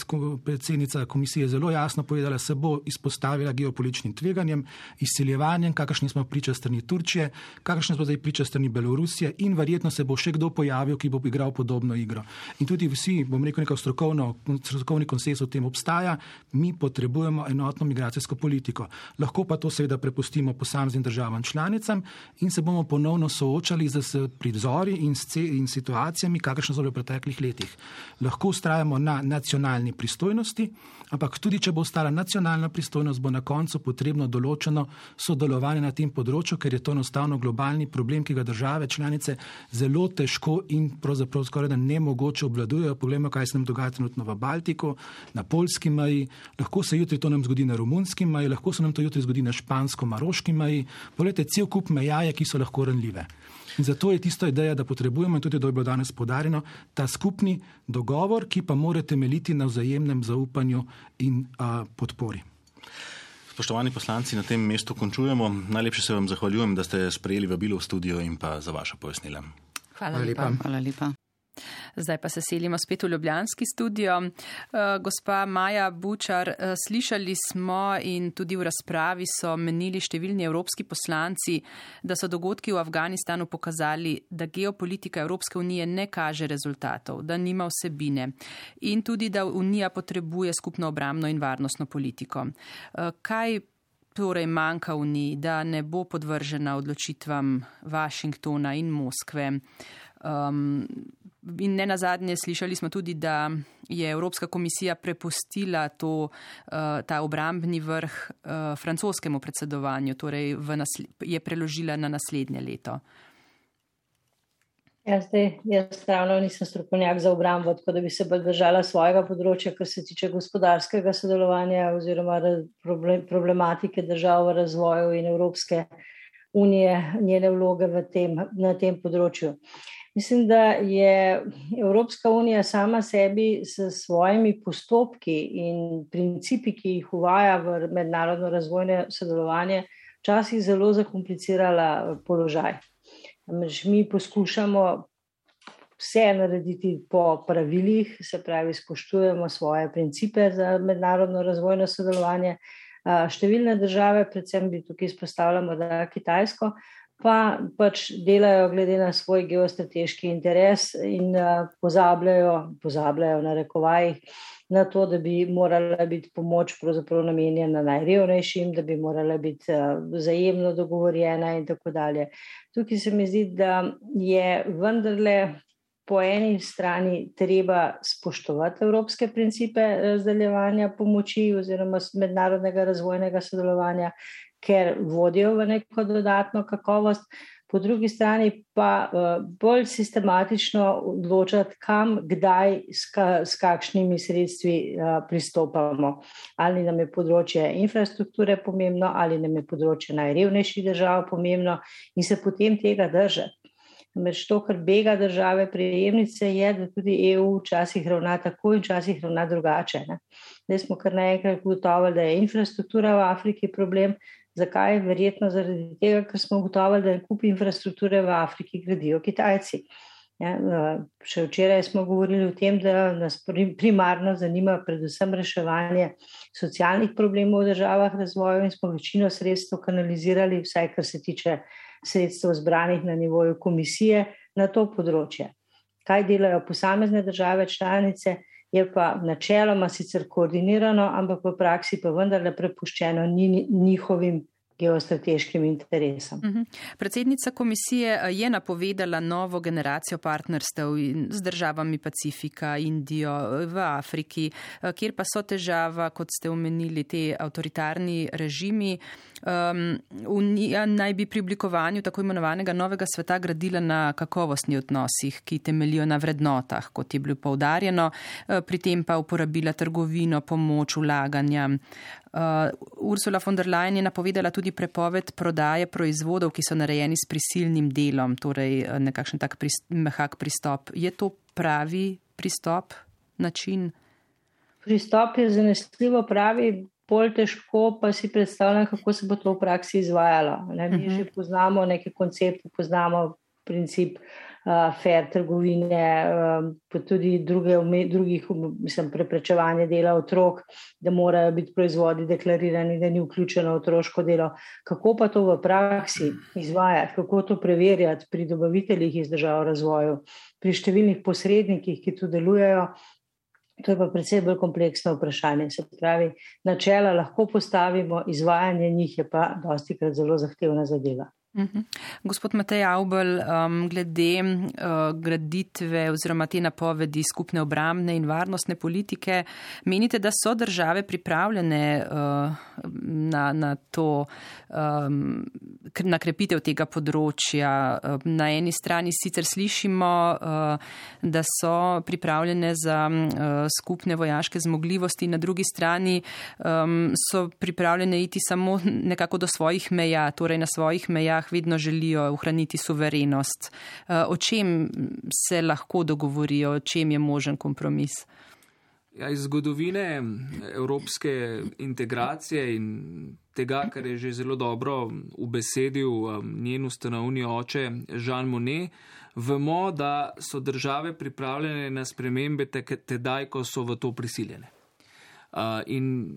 predsednica komisije zelo jasno povedala, se bo izpostavila geopolitičnim tveganjem, izseljevanjem, kakršni smo priča strani Turčije, kakršni smo zdaj priča strani Belorusije in verjetno se bo še kdo pojavil, ki bo igral podobno igro. In tudi vsi, bom rekel, neko strokovno, strokovni konsens o tem obstaja, mi potrebujemo enotno migracijsko politiko. Lahko pa to seveda prepustimo posameznim državam članicam in se bomo ponovno soočali z prizori in, in situacijami, kakršne so bile v preteklih letih. Lahko ustrajamo na nacionalni pristojnosti, ampak tudi, če bo ostala nacionalna pristojnost, bo na koncu potrebno določeno sodelovanje na tem področju, ker je to enostavno globalni problem, ki ga države članice zelo težko in pravzaprav skoraj da nemogoče obvladujejo. Poglejmo, kaj se nam dogaja trenutno v Baltiku, na poljski meji, lahko se jutri to nam zgodi na romunski meji, lahko se nam to jutri zgodi na špansko-maroški meji. Poglejte, cel kup meja je, ki so lahko ranljive. In zato je tisto ideja, da potrebujemo, in tudi to je bilo danes podarjeno, ta skupni dogovor, ki pa mora temeljiti na vzajemnem zaupanju in a, podpori. Spoštovani poslanci, na tem mestu končujemo. Najlepše se vam zahvaljujem, da ste sprejeli vabilo v studio in pa za vaše pojasnila. Hvala, Hvala lepa. Hvala lepa. Zdaj pa se selimo spet v ljubljanski studio. Gospa Maja Bučar, slišali smo in tudi v razpravi so menili številni evropski poslanci, da so dogodki v Afganistanu pokazali, da geopolitika Evropske unije ne kaže rezultatov, da nima vsebine in tudi, da Unija potrebuje skupno obrambno in varnostno politiko. Kaj torej manjka Uniji, da ne bo podvržena odločitvam Washingtona in Moskve? Um, in ne nazadnje slišali smo tudi, da je Evropska komisija prepustila to, uh, ta obrambni vrh uh, francoskemu predsedovanju, torej v nasle- je preložila na naslednje leto. Ja, zdaj, jaz ravno nisem strokovnjak za obrambo, tako da bi se bolj držala svojega področja, kar se tiče gospodarskega sodelovanja oziroma problematike držav v razvoju in Evropske unije, njene vloge v tem, na tem področju. Mislim, da je Evropska unija sama sebi s svojimi postopki in principi, ki jih uvaja v mednarodno razvojne sodelovanje, včasih zelo zakomplicirala položaj. Mi poskušamo vse narediti po pravilih, se pravi, spoštujemo svoje principe za mednarodno razvojno sodelovanje. Številne države, predvsem bi tukaj izpostavljamo, da Kitajsko, pa pač delajo glede na svoj geostrateški interes in pozabljajo, pozabljajo na rekovajih na to, da bi morala biti pomoč pravzaprav namenjena najrevnejšim, da bi morala biti vzajemno dogovorjena in tako dalje. Tukaj se mi zdi, da je vendarle po eni strani treba spoštovati evropske principe razdeljevanja pomoči oziroma mednarodnega razvojnega sodelovanja, ker vodijo v neko dodatno kakovost, po drugi strani pa bolj sistematično odločati, kam, kdaj, s kakšnimi sredstvi pristopamo. Ali nam je področje infrastrukture pomembno, ali nam je področje najrevnejših držav pomembno in se potem tega držati. Namreč to, kar bega države prejemnice, je, da tudi E U včasih ravna tako in včasih ravna drugače. Ne? Zdaj smo kar naenkrat ugotovili, da je infrastruktura v Afriki problem. Zakaj? Verjetno zaradi tega, ker smo ugotovili, da je kup infrastrukture v Afriki gradijo Kitajci. Ja, še včeraj smo govorili o tem, da nas primarno zanima predvsem reševanje socialnih problemov v državah razvoju in smo večino sredstev kanalizirali, vsaj kar se tiče sredstev zbranih na nivoju komisije, na to področje. Kaj delajo posamezne države članice, je pa načeloma sicer koordinirano, ampak v praksi pa vendarle prepuščeno njihovim geostrateškim interesom. Uh-huh. Predsednica komisije je napovedala novo generacijo partnerstev z državami Pacifika, Indijo, v Afriki, kjer pa so težava, kot ste omenili, te avtoritarni režimi. Um, Unija naj bi pri oblikovanju tako imenovanega novega sveta gradila na kakovostnih odnosih, ki temeljijo na vrednotah, kot je bilo poudarjeno, pri tem pa uporabila trgovino, pomoč, vlaganja. Uh, Ursula von der Leyen je napovedala tudi prepoved prodaje proizvodov, ki so narejeni s prisilnim delom, torej nekakšen tak prist, mehak pristop. Je to pravi pristop, način? Pristop je zanesljivo pravi, bolj težko pa si predstavljam, kako se bo to v praksi izvajalo. Ne, mi uh-huh. že poznamo neke koncepte, poznamo princip fair trgovine, pa tudi druge, drugih, mislim, preprečevanje dela otrok, da morajo biti proizvodi deklarirani, da ni vključeno otroško delo. Kako pa to v praksi izvajati, kako to preverjati pri dobaviteljih iz držav razvoju, pri številnih posrednikih, ki tu delujejo, to je pa predvsej bolj kompleksno vprašanje. Se pravi, načela lahko postavimo, izvajanje njih je pa dostikrat zelo zahtevna zadeva. Uhum. Gospod Matej Avbelj, um, glede uh, graditve oziroma te napovedi skupne obrambne in varnostne politike, menite, da so države pripravljene uh, na, na to, um, na krepitev tega področja? Na eni strani sicer slišimo, uh, da so pripravljene za uh, skupne vojaške zmogljivosti, na drugi strani um, so pripravljene iti samo nekako do svojih meja, torej na svojih mejah vedno želijo ohraniti suverenost. O čem se lahko dogovorijo, o čem je možen kompromis? Ja, iz zgodovine evropske integracije in tega, kar je že zelo dobro ubesedil njen ustanovni oče Jean Monnet, vemo, da so države pripravljene na spremembe tedaj, ko so v to prisiljene. In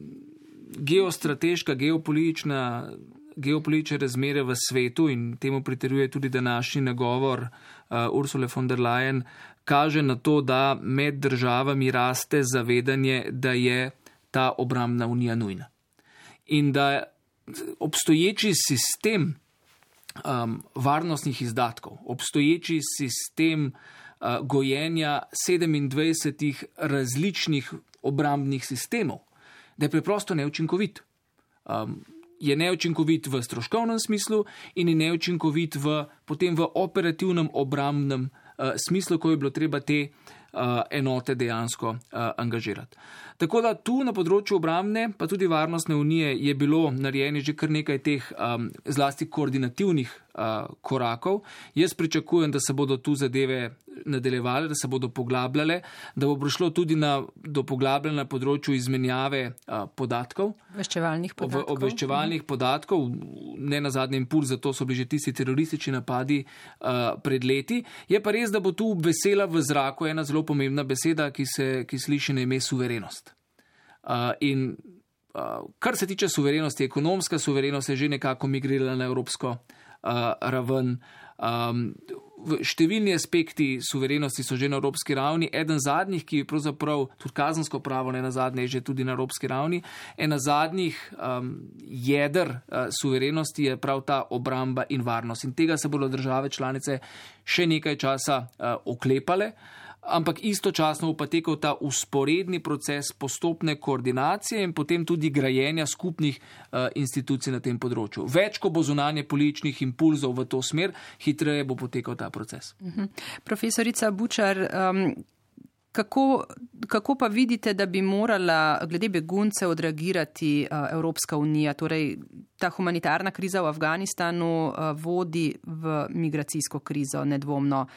geostrateška, geopolitična geopolitične razmere v svetu, in temu pritrjuje tudi današnji nagovor uh, Ursule von der Leyen, kaže na to, da med državami raste zavedanje, da je ta obrambna unija nujna. In da obstoječi sistem um, varnostnih izdatkov, obstoječi sistem uh, gojenja sedemindvajsetih različnih obrambnih sistemov, da je preprosto neučinkovit. Um, je neučinkovit v stroškovnem smislu in je neučinkovit v, potem v operativnem obrambnem uh, smislu, ko je bilo treba te uh, enote dejansko uh, angažirati. Tako da tu na področju obrambne, pa tudi varnostne unije je bilo narejeni že kar nekaj teh um, zlasti koordinativnih uh, korakov. Jaz pričakujem, da se bodo tu zadeve nadaljevale, da se bodo poglabljale, da bo prišlo tudi na, do poglabljanja na področju izmenjave uh, podatkov. Obveščevalnih podatkov. Obveščevalnih mm. podatkov, ne na zadnji impuls, zato so bili že tisti teroristični napadi uh, pred leti. Je pa res, da bo tu vesela v zraku ena zelo pomembna beseda, ki se ki sliši na ime suverenost. Uh, in uh, kar se tiče suverenosti, ekonomska suverenost je že nekako migrirala na evropsko uh, raven. Um, številni aspekti suverenosti so že na evropski ravni. Eden zadnjih, ki je pravzaprav tudi kazensko pravo, ne na zadnje, je že tudi na evropski ravni. Ena zadnjih um, jeder uh, suverenosti je prav ta obramba in varnost. In tega se bodo države članice še nekaj časa uh, oklepale. Ampak istočasno bo pa tekel ta usporedni proces postopne koordinacije in potem tudi grajenja skupnih uh, institucij na tem področju. Več, ko bo zunanje političnih impulzov v to smer, hitreje bo potekal ta proces. Uh-huh. Profesorica Bučar, um, kako, kako pa vidite, da bi morala glede beguncev odreagirati uh, Evropska unija? Torej, ta humanitarna kriza v Afganistanu uh, vodi v migracijsko krizo, nedvomno.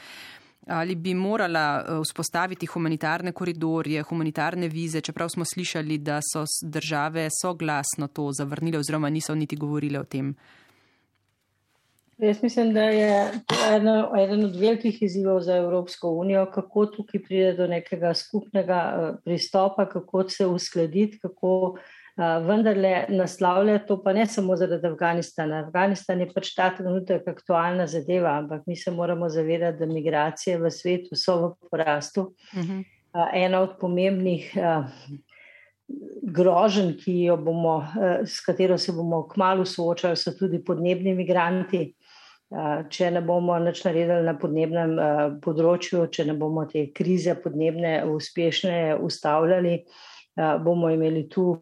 Ali bi morala vzpostaviti humanitarne koridorje, humanitarne vize, čeprav smo slišali, da so države soglasno to zavrnile oziroma niso niti govorile o tem? Jaz mislim, da je eno, eden od velikih izzivov za Evropsko unijo, kako tukaj pride do nekega skupnega pristopa, kako se uskladiti, kako vendarle naslavlja to, pa ne samo zaradi Afganistana. Afganistan je pač ta trenutek aktualna zadeva, ampak mi se moramo zavedati, da migracije v svetu so v porastu. Uh-huh. Ena od pomembnih groženj, ki jo bomo, s katero se bomo kmalu soočali, so tudi podnebni migranti. Če ne bomo nič naredili na podnebnem področju, če ne bomo te krize podnebne uspešne ustavljali, bomo imeli tu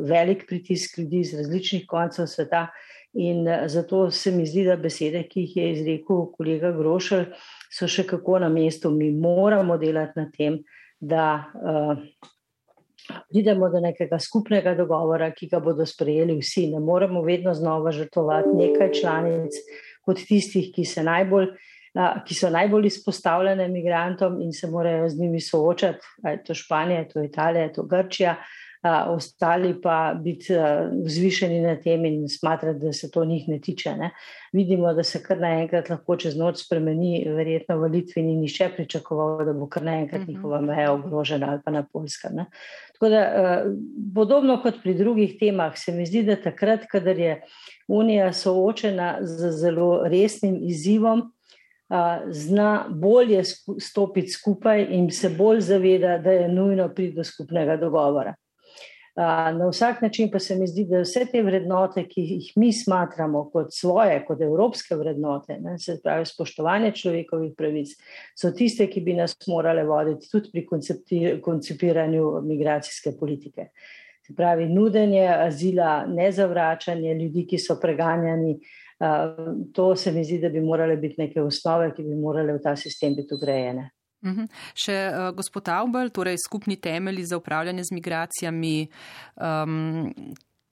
velik pritisk ljudi iz različnih koncev sveta in zato se mi zdi, da besede, ki jih je izrekel kolega Grošelj, so še kako na mestu. Mi moramo delati na tem, da uh, pridemo do nekega skupnega dogovora, ki ga bodo sprejeli vsi. Ne moremo vedno znova žrtvovati nekaj članic kot tistih, ki se najbolj ki so najbolj izpostavljene migrantom in se morajo z njimi soočati, je to Španija, je to Italija, je to Grčija, ostali pa biti vzvišeni na tem in smatrati, da se to njih ne tiče. Ne. Vidimo, da se kar naenkrat lahko čez noč spremeni, verjetno v Litvi ni nišče pričakoval, da bo kar naenkrat njihova meja ogrožena ali pa na Poljskem. Ne. Tako da, podobno kot pri drugih temah, se mi zdi, da takrat, kadar je Unija soočena z zelo resnim izzivom, zna bolje stopiti skupaj in se bolj zaveda, da je nujno priti do skupnega dogovora. Na vsak način pa se mi zdi, da vse te vrednote, ki jih mi smatramo kot svoje, kot evropske vrednote, ne, se pravi spoštovanje človekovih pravic, so tiste, ki bi nas morale voditi tudi pri koncipiranju migracijske politike. Se pravi, nudenje azila, nezavračanje ljudi, ki so preganjani, to se mi zdi, da bi morale biti neke osnove, ki bi morale v ta sistem biti ugrajene. Uhum. Še uh, gospod Avbelj, torej skupni temelji za upravljanje z migracijami, um,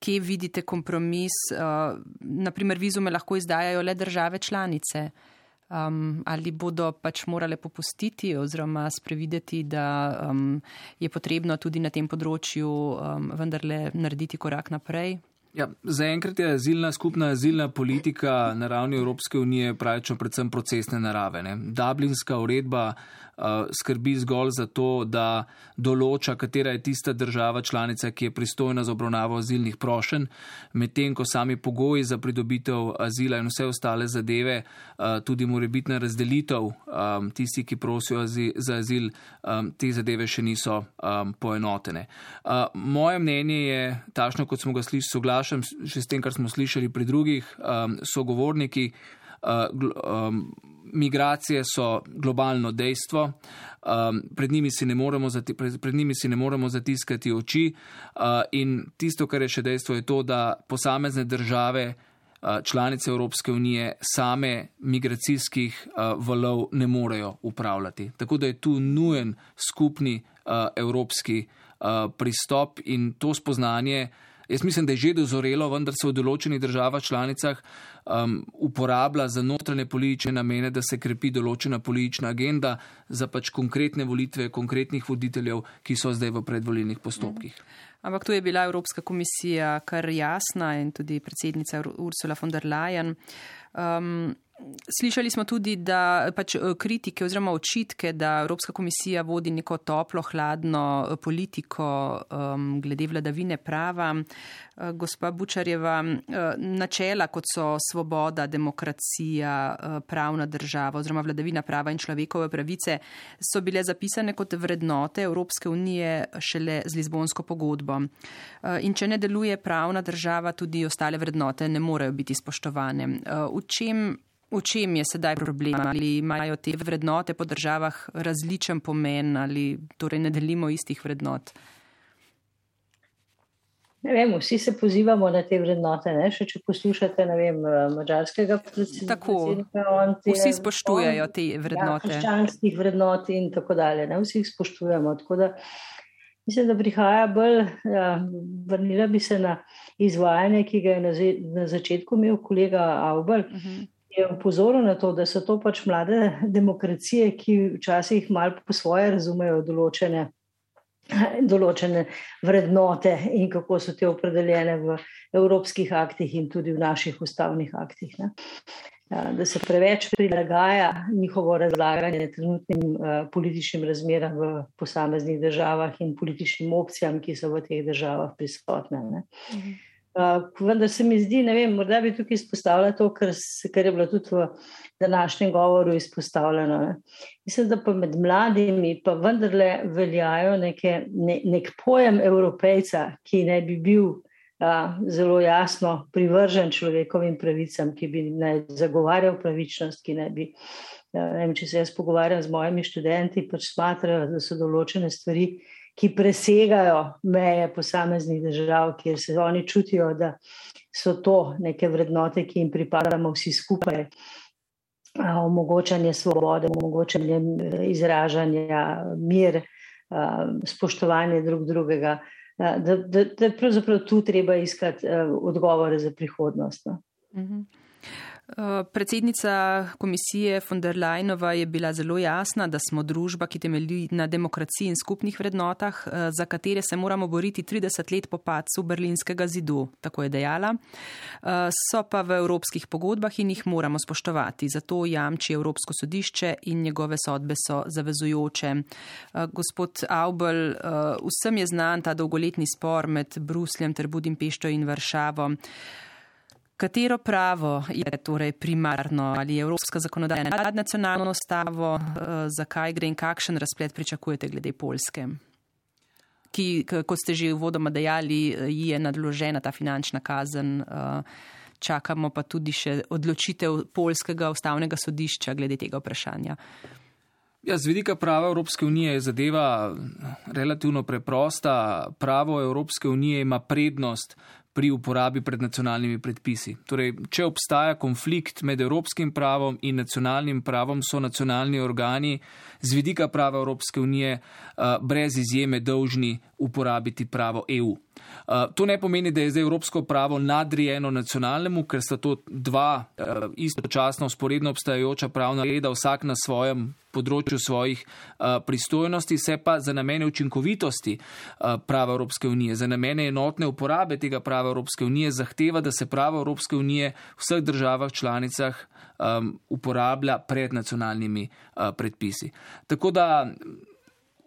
kje vidite kompromis, uh, naprimer vizume lahko izdajajo le države članice, um, ali bodo pač morale popustiti oziroma sprevideti, da um, je potrebno tudi na tem področju um, vendarle narediti korak naprej? Ja, zaenkrat je azilna, skupna azilna politika na ravni Evropske unije praktično predvsem procesne narave. Ne. Dublinska uredba uh, skrbi zgolj za to, da določa, katera je tista država članica, ki je pristojna za obravnavo azilnih prošenj, medtem ko sami pogoji za pridobitev azila in vse ostale zadeve, uh, tudi morebitna razdelitev um, tisti, ki prosijo azil, za azil, um, te zadeve še niso um, poenotene. Uh, moje mnenje je takšno, kot smo ga slišali, še s tem, kar smo slišali pri drugih um, sogovorniki. Uh, gl, um, migracije so globalno dejstvo, um, pred, njimi si ne moremo zati, pred, pred njimi si ne moremo zatiskati oči uh, in tisto, kar je še dejstvo, je to, da posamezne države, uh, članice Evropske unije, same migracijskih uh, valov ne morejo upravljati. Tako da je tu nujen skupni uh, evropski uh, pristop in to spoznanje. Jaz mislim, da je že dozorelo, vendar se v določenih državah članicah um, uporablja za notranje politične namene, da se krepi določena politična agenda za pač konkretne volitve konkretnih voditeljev, ki so zdaj v predvolilnih postopkih. Ampak tu je bila Evropska komisija kar jasna in tudi predsednica Ursula von der Leyen. Um, Slišali smo tudi, da pač kritike oziroma očitke, da Evropska komisija vodi neko toplo, hladno politiko um, glede vladavine prava. Uh, gospa Bučarjeva, uh, načela, kot so svoboda, demokracija, uh, pravna država oziroma vladavina prava in človekove pravice, so bile zapisane kot vrednote Evropske unije šele z Lizbonsko pogodbo. Uh, in če ne deluje pravna država, tudi ostale vrednote ne morejo biti spoštovane. Uh, v čem V čem je sedaj problem? Ali imajo te vrednote po državah različen pomen ali torej ne delimo istih vrednot? Ne vem, vsi se pozivamo na te vrednote, ne? Še če poslušate, ne vem, madžarskega predsednika. Tako, vsi spoštujejo te vrednote. Ja, krščanskih vrednot in tako dalje, ne? Vsi jih spoštujemo. Tako da mislim, da prihaja bolj, ja, vrnila bi se na izvajanje, ki ga je na, na začetku imel kolega Avbelj. Uh-huh. Je upozoril na to, da so to pač mlade demokracije, ki včasih malo po svoje razumejo določene, določene vrednote in kako so te opredeljene v evropskih aktih in tudi v naših ustavnih aktih. Ne. Da se preveč prilagaja njihovo razlaganje trenutnim uh, političnim razmeram v posameznih državah in političnim opcijam, ki so v teh državah prisotne. Ne. Mhm. Uh, vendar se mi zdi, ne vem, morda bi tukaj izpostavila to, kar, kar je bilo tudi v današnjem govoru izpostavljeno. Ne. Mislim, da pa med mladimi pa vendarle veljajo neke, ne, nek pojem evropejca, ki naj bi bil uh, zelo jasno privržen človekovim pravicam, ki bi naj zagovarjal pravičnost, ki naj bi, uh, ne vem, če se jaz pogovarjam z mojimi študenti, pač smatrajo, da so določene stvari, ki presegajo meje posameznih držav, kjer se oni čutijo, da so to neke vrednote, ki jim pripadamo vsi skupaj. Omogočanje svobode, omogočanje izražanja, mir, spoštovanje drug drugega. Da, da, da pravzaprav tu treba iskati odgovore za prihodnost. No? Mhm. Predsednica komisije von der Leyenova je bila zelo jasna, da smo družba, ki temelji na demokraciji in skupnih vrednotah, za katere se moramo boriti trideset let po padcu Berlinskega zidu, tako je dejala. So pa v evropskih pogodbah in jih moramo spoštovati. Zato jamči Evropsko sodišče in njegove sodbe so zavezujoče. Gospod Avbelj, vsem je znan ta dolgoletni spor med Brusljem ter Budimpešto in Varšavo. Katero pravo je torej primarno? Ali je evropska zakonodaja nad nacionalno ustavo? Zakaj gre in kakšen razplet pričakujete glede Poljske? Ki, kot ste že uvodoma dejali, je nadložena ta finančna kazen. Čakamo pa tudi še odločitev Poljskega ustavnega sodišča glede tega vprašanja. Ja, z vidika prava Evropske unije je zadeva relativno preprosta. Pravo Evropske unije ima prednost pri uporabi pred nacionalnimi predpisi. Torej, če obstaja konflikt med evropskim pravom in nacionalnim pravom, so nacionalni organi z vidika prava Evropske unije uh, brez izjeme dolžni uporabiti pravo E U. Uh, to ne pomeni, da je zdaj evropsko pravo nadrejeno nacionalnemu, ker sta to dva uh, istočasno usporedno obstajajoča pravna reda, vsak na svojem področju svojih uh, pristojnosti, se pa za namene učinkovitosti uh, prava Evropske unije, za namene enotne uporabe tega prava Evropske unije zahteva, da se pravo Evropske unije v vseh državah članicah um, uporablja pred nacionalnimi uh, predpisi. Tako da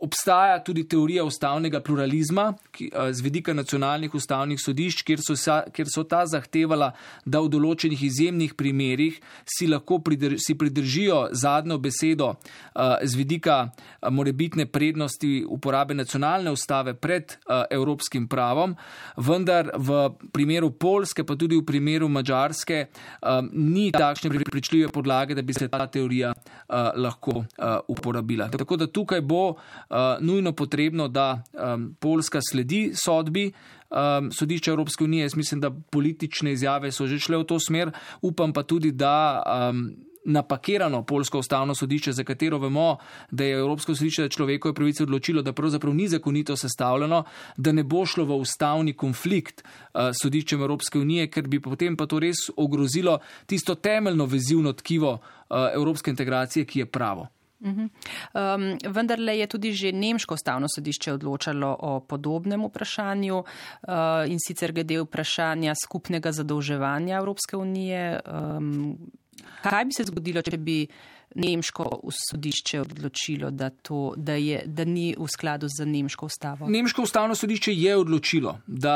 obstaja tudi teorija ustavnega pluralizma ki, z vidika nacionalnih ustavnih sodišč, kjer so, sa, kjer so ta zahtevala, da v določenih izjemnih primerih si lahko pridrž, si pridržijo zadnjo besedo uh, z vidika uh, morebitne prednosti uporabe nacionalne ustave pred uh, evropskim pravom, vendar v primeru Poljske, pa tudi v primeru Madžarske, um, ni takšne prepričljive podlage, da bi se ta teorija uh, lahko uh, uporabila. Tako da tukaj bo Uh, nujno potrebno, da um, Poljska sledi sodbi um, sodišča Evropske unije. Jaz mislim, da politične izjave so že šle v to smer. Upam pa tudi, da um, napakirano Poljsko ustavno sodišče, za katero vemo, da je Evropsko sodišče za človekove pravice odločilo, da pravzaprav ni zakonito sestavljeno, da ne bo šlo v ustavni konflikt uh, s sodiščem Evropske unije, ker bi potem pa to res ogrozilo tisto temeljno vezivno tkivo uh, evropske integracije, ki je pravo. Um, vendarle je tudi že nemško ustavno sodišče odločalo o podobnem vprašanju uh, in sicer glede vprašanja skupnega zadolževanja Evropske unije. Um, kaj bi se zgodilo, če bi nemško sodišče odločilo, da, to, da, je, da ni v skladu z nemško ustavo? Nemško ustavno sodišče je odločilo, da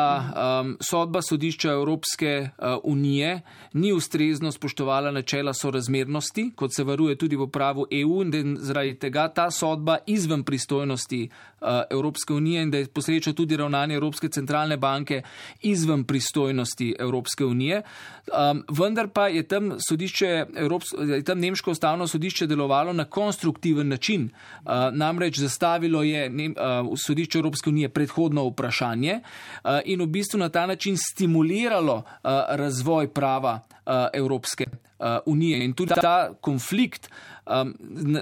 um, sodba sodišča Evropske uh, unije ni ustrezno spoštovala načela sorazmernosti, kot se varuje tudi v pravu E U, in da je zaradi tega ta sodba izven pristojnosti uh, Evropske unije in da je posledično tudi ravnanje Evropske centralne banke izven pristojnosti Evropske unije. Um, vendar pa je tam, sodišče Evrops- je tam nemško ustavno sodišče delovalo na konstruktiven način. Uh, namreč zastavilo je ne, uh, sodišče Evropske unije predhodno vprašanje uh, in v bistvu na ta način stimuliralo uh, razvoj prava uh, Evropske uh, unije. In tudi ta konflikt um,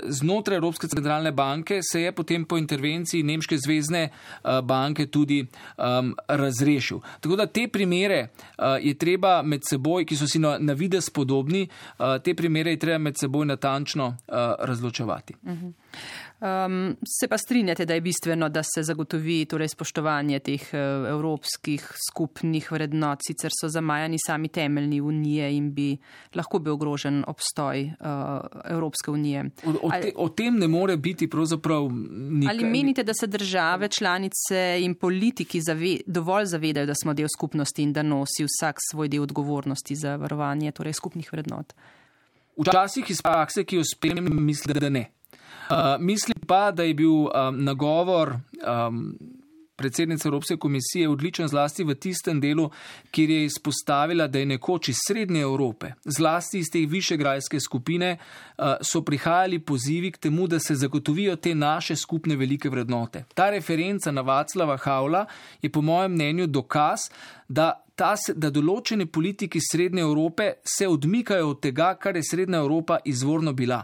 znotraj Evropske centralne banke se je potem po intervenciji Nemške zvezne uh, banke tudi um, razrešil. Tako da te primere uh, je treba med seboj, ki so si na, na videz podobni, uh, te primere je treba med seboj natančno uh, razločevati. Uh-huh. Um, se pa strinjate, da je bistveno, da se zagotovi torej spoštovanje teh uh, evropskih skupnih vrednot, sicer so zamajani sami temeljni unije in bi lahko bil ogrožen obstoj uh, Evropske unije. O, o, te, o tem ne more biti pravzaprav nikaj. Ali menite, da se države, članice in politiki zave, dovolj zavedajo, da smo del skupnosti in da nosi vsak svoj del odgovornosti za varovanje torej skupnih vrednot? Včasih iz prakse, ki jo spremljam, mislim, da ne. Uh, mislim pa, da je bil um, nagovor um, predsednice Evropske komisije odličen zlasti v tistem delu, kjer je izpostavila, da je nekoč iz Srednje Evrope, zlasti iz te višegrajske skupine, uh, so prihajali pozivi k temu, da se zagotovijo te naše skupne velike vrednote. Ta referenca na Václava Havla je po mojem mnenju dokaz, da Ta, da določene politiki Srednje Evrope se odmikajo od tega, kar je Srednja Evropa izvorno bila.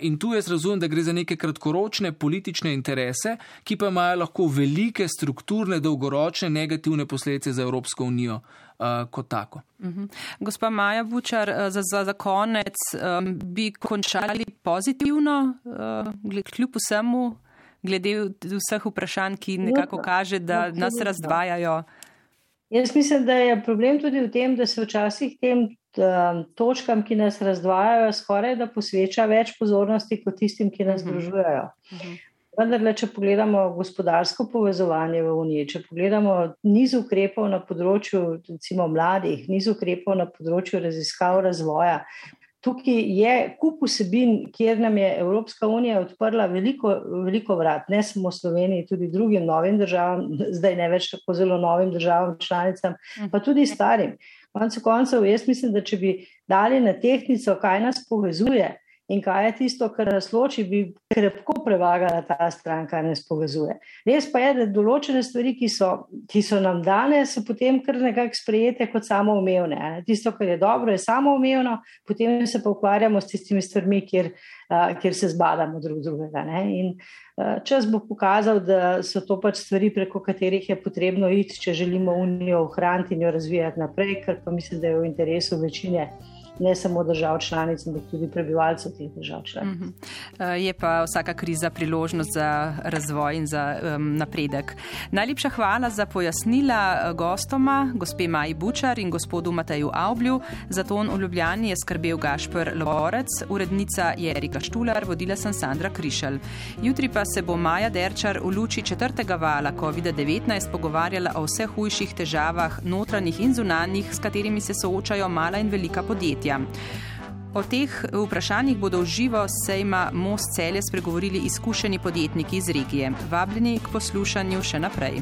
In tu jaz razumem, da gre za neke kratkoročne politične interese, ki pa imajo lahko velike strukturne, dolgoročne negativne posledice za Evropsko unijo uh, kot tako. Uh-huh. Gospa Maja Bučar, za, za, za konec um, bi končali pozitivno, uh, kljub vsemu, glede vseh vprašanj, ki nekako kaže, da nas razdvajajo. Jaz mislim, da je problem tudi v tem, da se včasih tem točkam, ki nas razdvajajo, skoraj da posveča več pozornosti kot tistim, ki nas združujejo. Uh-huh. Vendar, če pogledamo gospodarsko povezovanje v Uniji, če pogledamo niz ukrepov na področju recimo mladih, niz ukrepov na področju raziskav razvoja, tukaj je kup vsebin, kjer nam je Evropska unija odprla veliko, veliko vrat, ne samo Sloveniji, tudi drugim novim državam, zdaj ne več tako zelo novim državam, članicam, pa tudi starim. Koncu koncev, jaz mislim, da če bi dali na tehtnico, kaj nas povezuje in kaj je tisto, kar nas loči, bi krepko prevagala ta stran, kaj nas povezuje. Res pa je, da določene stvari, ki so, ki so nam dane, so potem kar nekako sprejete kot samoumevne. Tisto, kar je dobro, je samoumevno, potem se pa ukvarjamo s tistimi stvarmi, kjer, uh, kjer se zbadamo drug drugega. Ne? In uh, čas bo pokazal, da so to pač stvari, preko katerih je potrebno iti, če želimo Unijo ohraniti in jo razvijati naprej, kar pa mislim, da je v interesu večine ne samo držav članic, ampak tudi prebivalcev teh držav članic. Uh-huh. Je pa vsaka kriza priložnost za razvoj in za um, napredek. Najlepša hvala za pojasnila gostoma, gospe Maji Bučar in gospodu Mateju Avblju. Za ton v Ljubljani je skrbel Gašper Lovorec, urednica je Erika Štular, vodila sem Sandra Krišelj. Jutri pa se bo Maja Derčar v luči četrtega vala covid devetnajst pogovarjala o vseh hujših težavah notranjih in zunanjih, s katerimi se soočajo mala in velika podjetja. O teh vprašanjih bodo v živo sejma Most Celje spregovorili izkušeni podjetniki iz regije. Vabljeni k poslušanju še naprej.